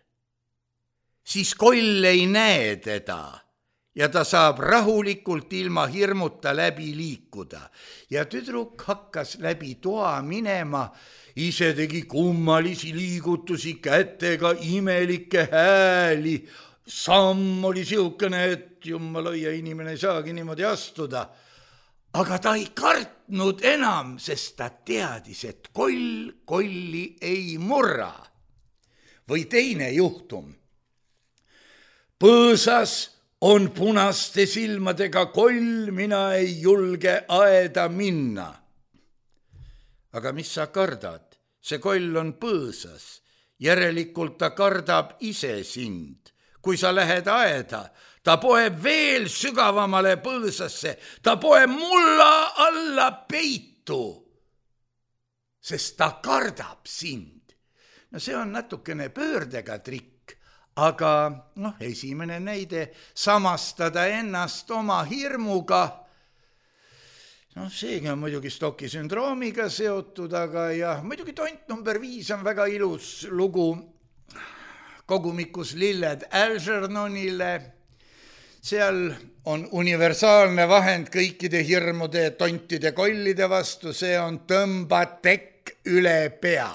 siis koll ei näe teda ja ta saab rahulikult ilma hirmuta läbi liikuda. Ja tüdruk hakkas läbi toa minema, ise tegi kummalisi liigutusi kätega, imelikke hääli. Samm oli siukene, et jummalõia inimene ei saagi niimoodi astuda. Aga ta ei kartnud enam, sest ta teadis, et koll kolli ei murra. Või teine juhtum. Põõsas on punaste silmadega koll, mina ei julge aeda minna. Aga mis sa kardad? See koll on põõsas. Järelikult ta kardab ise sind. Kui sa lähed aeda, ta poeb veel sügavamale põõsasse, ta poeb mulla alla peitu, sest ta kardab sind. No see on natukene pöördega trikk. Aga esimene näide, samastada ennast oma hirmuga. Seegi on muidugi Stocki sündroomiga seotud, aga ja muidugi tont number 5 on väga ilus lugu kogumikus Lilled Algernonile. Seal on universaalne vahend kõikide hirmude, tontide, kollide vastu, see on tõmba tekk üle pea.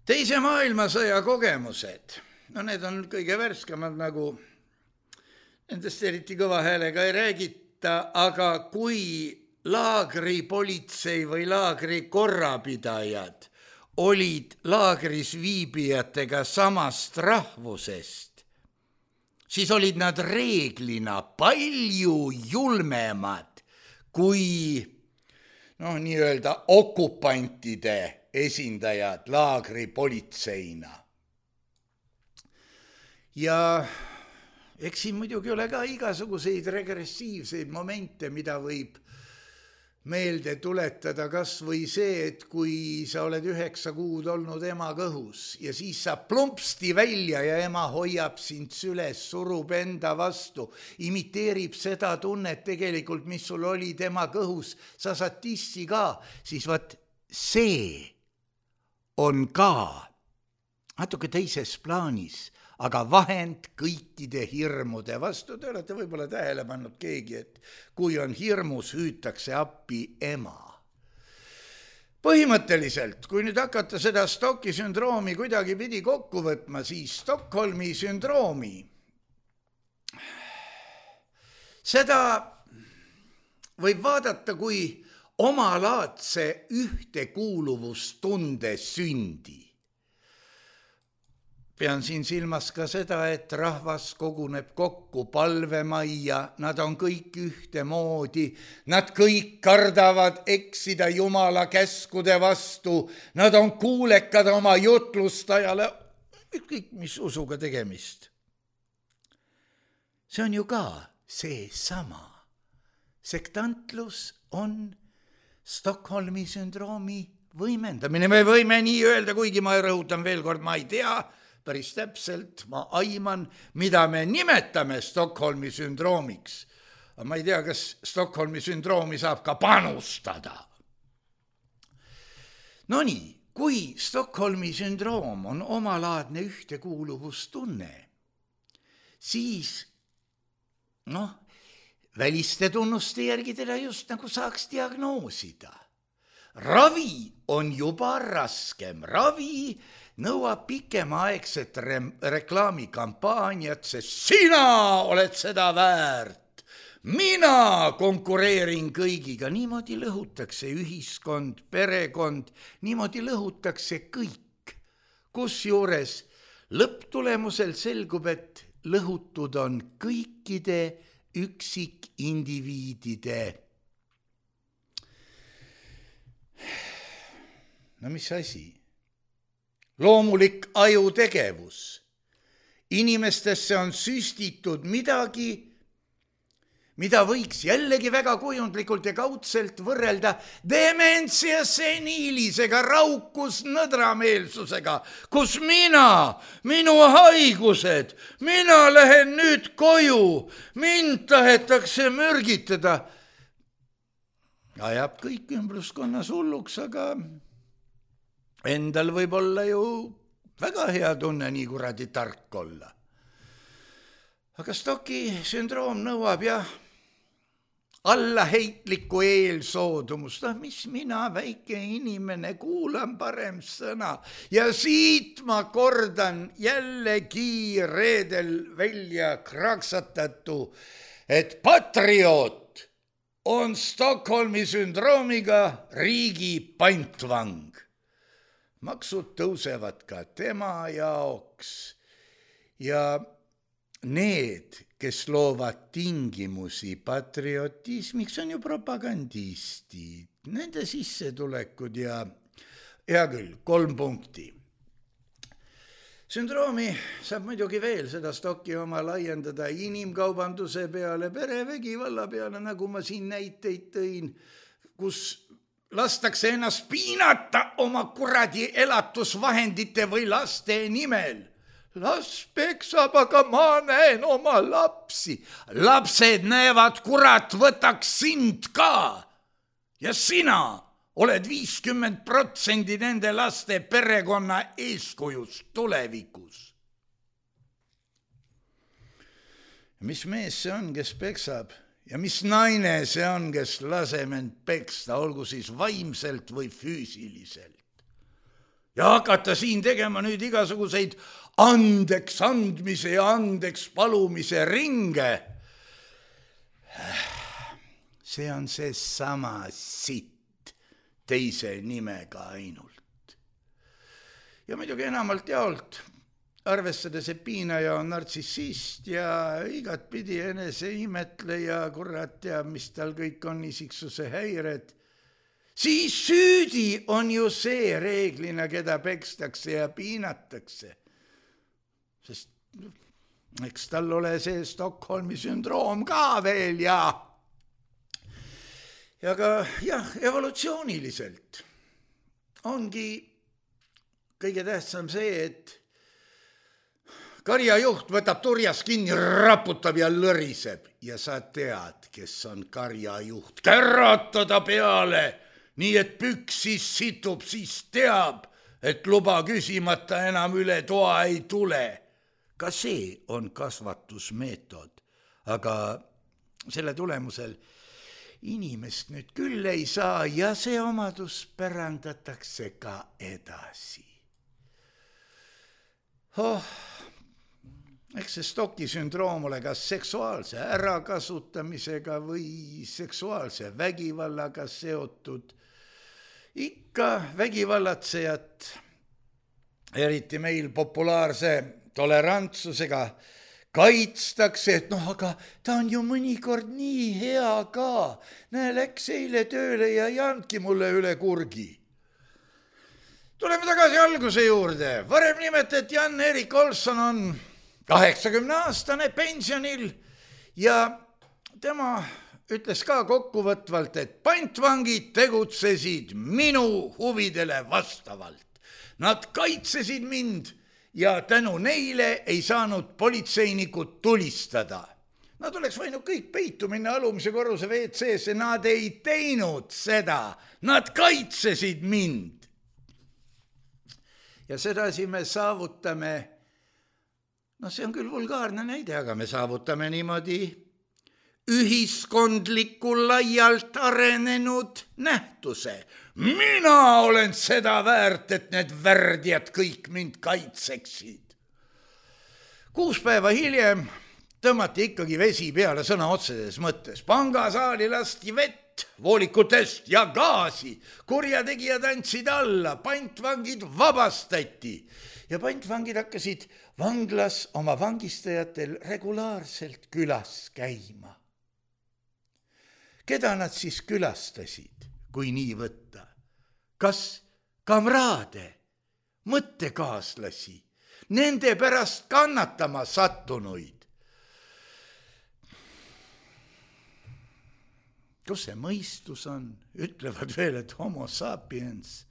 Teise maailmasõja kogemused, need on kõige värskemad, nagu nendest eriti kõva häälega ei räägita, aga kui laagri politsei või laagri korrapidajad olid laagris viibijatega samast rahvusest, siis olid nad reeglina palju julmemad kui nii-öelda okupantide esindajad laagri politseina. Ja eks siin muidugi ole ka igasuguseid regressiivseid momente, mida võib meelde tuletada, kas või see, et kui sa oled 9 kuud olnud ema kõhus ja siis sa plumpsti välja ja ema hoiab sind süles, surub enda vastu, imiteerib seda tunnet tegelikult, mis sul oli tema kõhus, sa saad tissi ka, siis vaat see on ka natuke teises plaanis, aga vahend kõikide hirmude vastu. Te olete võib-olla tähele pannud keegi, et kui on hirmus, hüütakse appi ema. Põhimõtteliselt, kui nüüd hakata seda Stocki sündroomi kuidagi pidi kokku võtma, siis Stockholmi sündroomi, seda võib vaadata kui omalaadse ühtekuuluvustunde sündi. Pean siin silmas ka seda, et rahvas koguneb kokku palvemajja, nad on kõik ühtemoodi, nad kõik kardavad eksida Jumala käskude vastu, nad on kuulekad oma jutlustajale, kõik mis usuga tegemist. See on ju ka seesama. Sektantlus on Stockholmi sündroomi võimendamine. Me võime nii öelda, kuigi ma rõhutan veel kord, ma ei tea päris täpselt, ma aiman, mida me nimetame Stockholmi sündroomiks. Aga ma ei tea, kas Stockholmi sündroomi saab ka panustada. No nii, kui Stockholmi sündroom on omalaadne ühtekuuluvustunne, siis väliste tunnuste järgi teda just nagu saaks diagnoosida. Ravi on juba raskem. Ravi nõuab pikemaaegset reklaamikampaaniat, sest sina oled seda väärt. Mina konkureerin kõigiga. Niimoodi lõhutakse ühiskond, perekond, niimoodi lõhutakse kõik. Kusjuures lõpptulemusel selgub, et lõhutud on kõikide üksikindiviidide. No mis asi? Loomulik ajutegevus. Inimestesse on süstitud midagi, mida võiks jällegi väga kujundlikult ja kaudselt võrrelda dementsia seniilisega, raukus nõdrameelsusega, kus minu haigused, mina lähen nüüd koju, mind tahetakse mürgitada. Ajab kõik ümbruskonnas hulluks, aga endal võib olla ju väga hea tunne nii kuradi tark olla. Aga Stocki sündroom nõuab allaheitlikku eelsoodumust. Mis mina, väike inimene, kuulan parem sõna. Ja siit ma kordan jällegi reedel välja kraksatatu, et patrioot on Stockholmi sündroomiga riigi pantvang. Maksud tõusevad ka tema jaoks ja need, kes loovad tingimusi patriotismiks, on ju propagandistid, nende sissetulekud ja hea küll, 3 punkti. Sündroomi saab muidugi veel seda Stocki oma laiendada inimkaubanduse peale, perevägivalla peale, nagu ma siin näiteid tõin, kus lastakse ennast piinata oma kuradi elatusvahendite või laste nimel. Las peksab, aga ma näen oma lapsi. Lapsed näevad, kurat, võtaks sind ka. Ja sina oled 50% nende laste perekonna eeskujus tulevikus. Mis mees see on, kes peksab? Ja mis naine see on, kes laseb end peksta, olgu siis vaimselt või füüsiliselt? Ja hakata siin tegema nüüd igasuguseid andeks andmise ja andeks palumise ringe. See on see sama sitt teise nimega ainult. Ja muidugi enamalt jaolt, arvestades, et piinaja on nartsissist ja igatpidi eneseimetleja, kurat teab, mis tal kõik on, isiksuse häired, siis süüdi on ju see reeglina, keda pekstakse ja piinatakse. Sest eks tal ole see Stockholmi sündroom ka veel ja ka evolutsiooniliselt ongi kõige tähtsam see, et karjajuht võtab turjas kinni, raputab ja lõriseb ja sa tead, kes on karjajuht. Käratada peale, nii et püksis situb, siis teab, et luba küsimata enam üle toa ei tule. Ka see on kasvatusmeetod, aga selle tulemusel inimest nüüd küll ei saa ja see omadus pärandatakse ka edasi. Eks see Stocki sündroom ole kas seksuaalse ärakasutamisega või seksuaalse vägivallaga seotud. Ikka vägivallatsejat, eriti meil populaarse tolerantsusega, kaitstakse, et aga ta on ju mõnikord nii hea ka. Näe, läks eile tööle ja ei andki mulle üle kurgi. Tuleme tagasi alguse juurde. Varem nimetati Jan-Erik Olsson on 80-aastane pensionil ja tema ütles ka kokkuvõtvalt, et pantvangid tegutsesid minu huvidele vastavalt. Nad kaitsesid mind ja tänu neile ei saanud politseinikud tulistada. Nad oleks võinud kõik peitu minna alumise korruse WC-sse, nad ei teinud seda, nad kaitsesid mind. Ja sedasi me saavutame, see on küll vulgaarne näide, aga me saavutame niimoodi ühiskondliku laialt arenenud nähtuse. Mina olen seda väärt, et need värdjad kõik mind kaitseksid. 6 päeva hiljem tõmmati ikkagi vesi peale sõna otseses mõttes. Pangasaali lasti vett voolikutest ja gaasi. Kurjategijad andsid alla, pantvangid vabastati ja pantvangid hakkasid vanglas oma vangistajatel regulaarselt külas käima. Keda nad siis külastasid, kui nii võtta? Kas kamraade, mõttekaaslasi, nende pärast kannatama sattunuid? Kus see mõistus on? Ütlevad veel, et homo sapiens.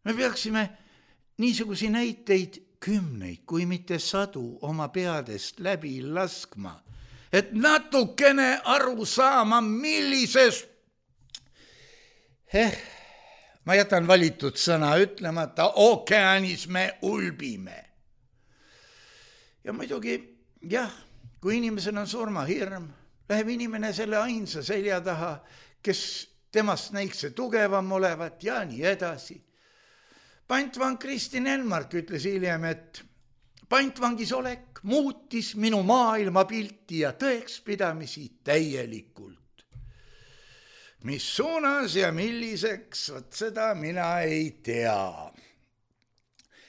Me peaksime niisugusi näiteid kümneid, kui mitte sadu oma peadest läbi laskma, et natukene aru saama, millisest ma jätan valitud sõna ütlemata, ookeanis me ulbime. Ja muidugi, jah, kui inimesel on surmahirm, läheb inimene selle ainsa selja taha, kes temast näiks see tugevam olevat ja nii edasi. Pantvang Kristin Enmark ütles hiljem, et pantvangis olek muutis minu maailmapilti ja tõekspidamisi täielikult. Mis suunas ja milliseks, vot seda mina ei tea.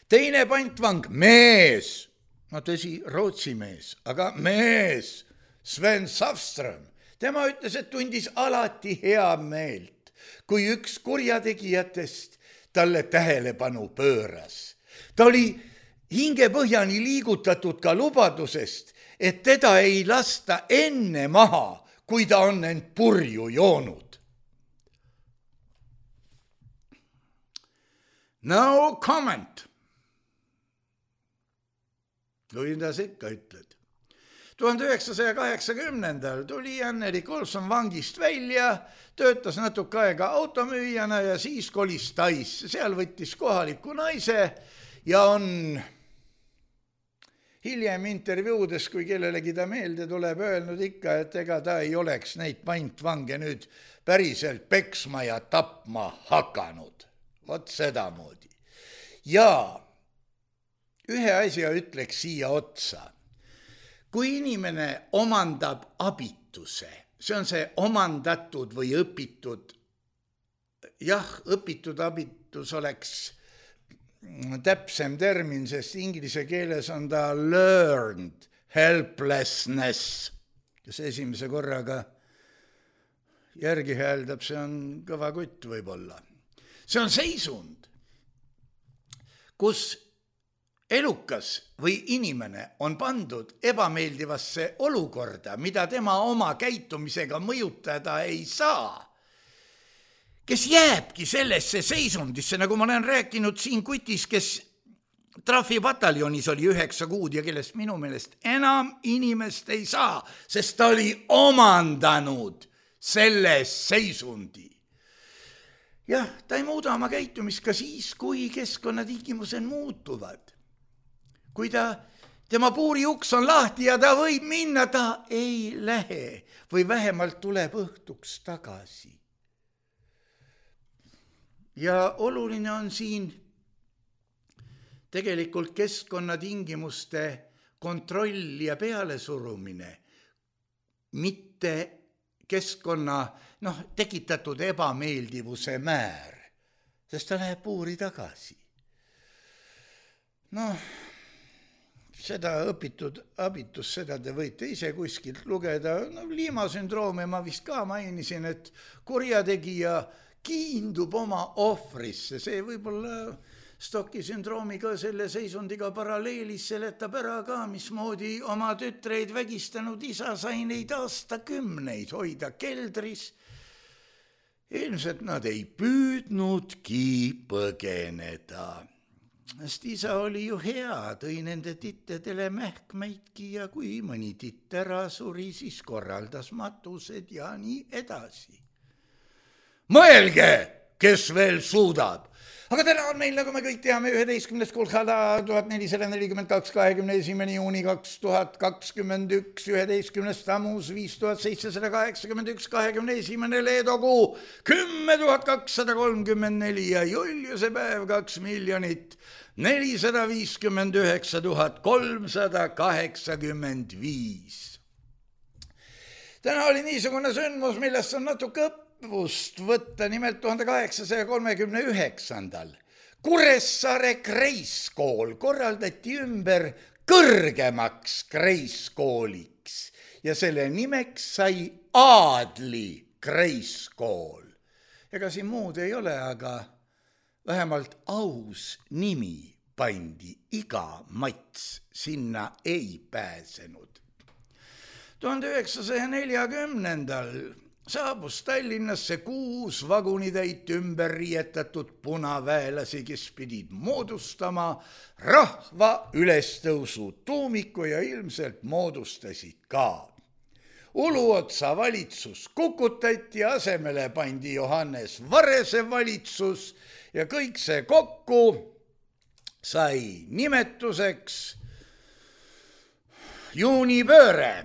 Teine pantvang, mees, no tõsi, Rootsi mees, aga mees, Sven Safström, tema ütles, et tundis alati hea meelt, kui üks kurjategijatest talle tähelepanu pööras. Ta oli hingepõhjani liigutatud ka lubadusest, et teda ei lasta enne maha, kui ta on end purju joonud. No comment. Kuidas ikka ütled. 1980 tuli Jan-Erik Olson vangist välja, töötas natuke aega automüüjana ja siis kolis Taisse. Seal võttis kohaliku naise ja on hiljem intervjuudes, kui kellelegi ta meelde tuleb, öelnud ikka, et ega ta ei oleks neid pantvange nüüd päriselt peksma ja tapma hakanud. Vot sedamoodi. Ja ühe asja ütleks siia otsa. Kui inimene omandab abituse, see on see omandatud või õpitud, õpitud abitus oleks täpsem termin, sest inglise keeles on ta learned helplessness, kes esimese korraga järgi hääldab, see on kõva kutt võib-olla. See on seisund, kus elukas või inimene on pandud ebameeldivasse olukorda, mida tema oma käitumisega mõjutada ei saa, kes jääbki sellesse seisundisse, nagu ma olen rääkinud siin kutis, kes trafipataljonis oli 9 kuud ja kellest minu meelest enam inimest ei saa, sest ta oli omandanud selle seisundi. Jah, ta ei muuda oma käitumist ka siis, kui keskkonnatingimused muutuvad. Kui tema puuri uks on lahti ja ta võib minna, ta ei lähe või vähemalt tuleb õhtuks tagasi. Ja oluline on siin tegelikult keskkonnatingimuste kontroll ja pealesurumine, mitte keskkonna tekitatud ebameeldivuse määr, sest ta läheb puuri tagasi. Seda õpitud abitus, seda te võite ise kuskilt lugeda. Liimasündroomi ma vist ka mainisin, et kurjategija kiindub oma ohvrisse. See võib-olla Stocki sündroomiga selle seisundiga paralleelis seletab ära ka, mismoodi oma tütreid vägistanud isa sai neid aastakümneid hoida keldris. Ilmselt nad ei püüdnudki põgeneda. Sest isa oli ju hea, tõi nende tittedele mähkmeidki ja kui mõni titt ära suri, siis korraldas matused ja nii edasi. Mõelge, kes veel suudab! Aga täna on meil, nagu me kõik teame, 11. Kolhada 1442, 21. juuni 2021, 11. Tammuz 5781, 21. Leedokuu 10 234 ja Juliuse päev 2 459 385. Täna oli niisugune sündmus, millest on natuke õppust võtta, nimelt 1839. Kuressaare Kreiskool korraldati ümber kõrgemaks Kreiskooliks ja selle nimeks sai Aadli Kreiskool. Ega siin muud ei ole, aga vähemalt aus nimi pandi, iga Mats sinna ei pääsenud. 1940. saabus Tallinnasse 6 vagunitäit ümber riietatud punaväelasi, kes pidid moodustama rahva ülestõusu tuumiku ja ilmselt moodustasid ka. Uluotsa valitsus kukutati, asemele pandi Johannes Varese valitsus ja kõik see kokku sai nimetuseks juunipööre.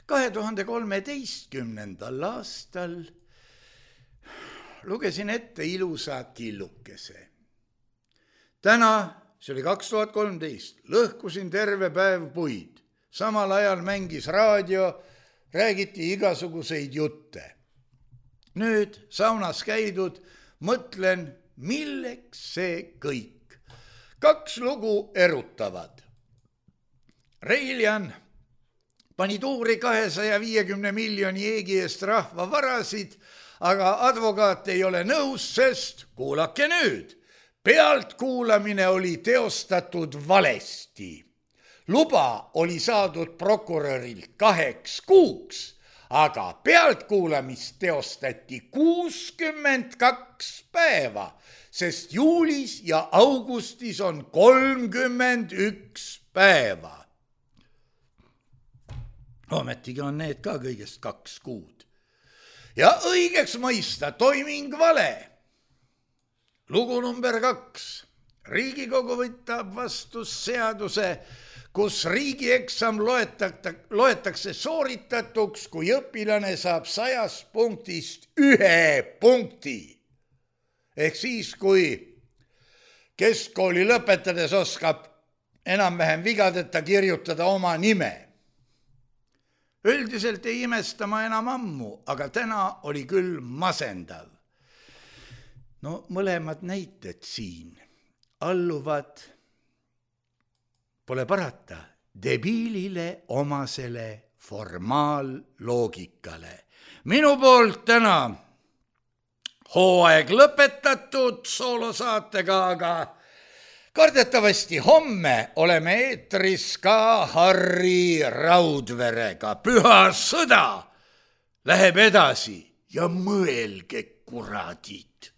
2013. aastal lugesin ette ilusa killukese. Täna, see oli 2013, lõhkusin terve päev puid. Samal ajal mängis raadio, räägiti igasuguseid jutte. Nüüd saunas käidud, mõtlen, milleks see kõik. 2 lugu erutavad. Reiljan pani tuuri 250 miljoni eegi eest rahva varasid, aga advokaat ei ole nõus, sest kuulake nüüd, pealtkuulamine oli teostatud valesti. Luba oli saadud prokurörilt 2 kuuks, aga pealtkuulamist teostati 62 päeva, sest juulis ja augustis on 31 päeva. Ometigi on need ka kõigest 2 kuud. Ja õigeks mõista toiming vale. Lugu number 2. Riigikogu võtab vastu seaduse, kus riigieksam loetakse sooritatuks, kui õpilane saab 100 punktist 1 punkti. Ehk siis, kui keskkooli lõpetades oskab enam-vähem vigadeta kirjutada oma nime. Üldiselt ei imesta ma enam ammu, aga täna oli küll masendav. No mõlemad näited siin alluvad, pole parata, debiilile omasele formaalloogikale. Minu poolt täna hooaeg lõpetatud soolosaatega, aga kardetavasti homme oleme eetris ka Harri Raudverega. Püha sõda läheb edasi ja mõelge, kuradid.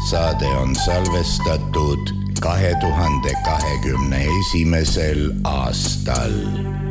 saade on salvestatud 2021. aastal.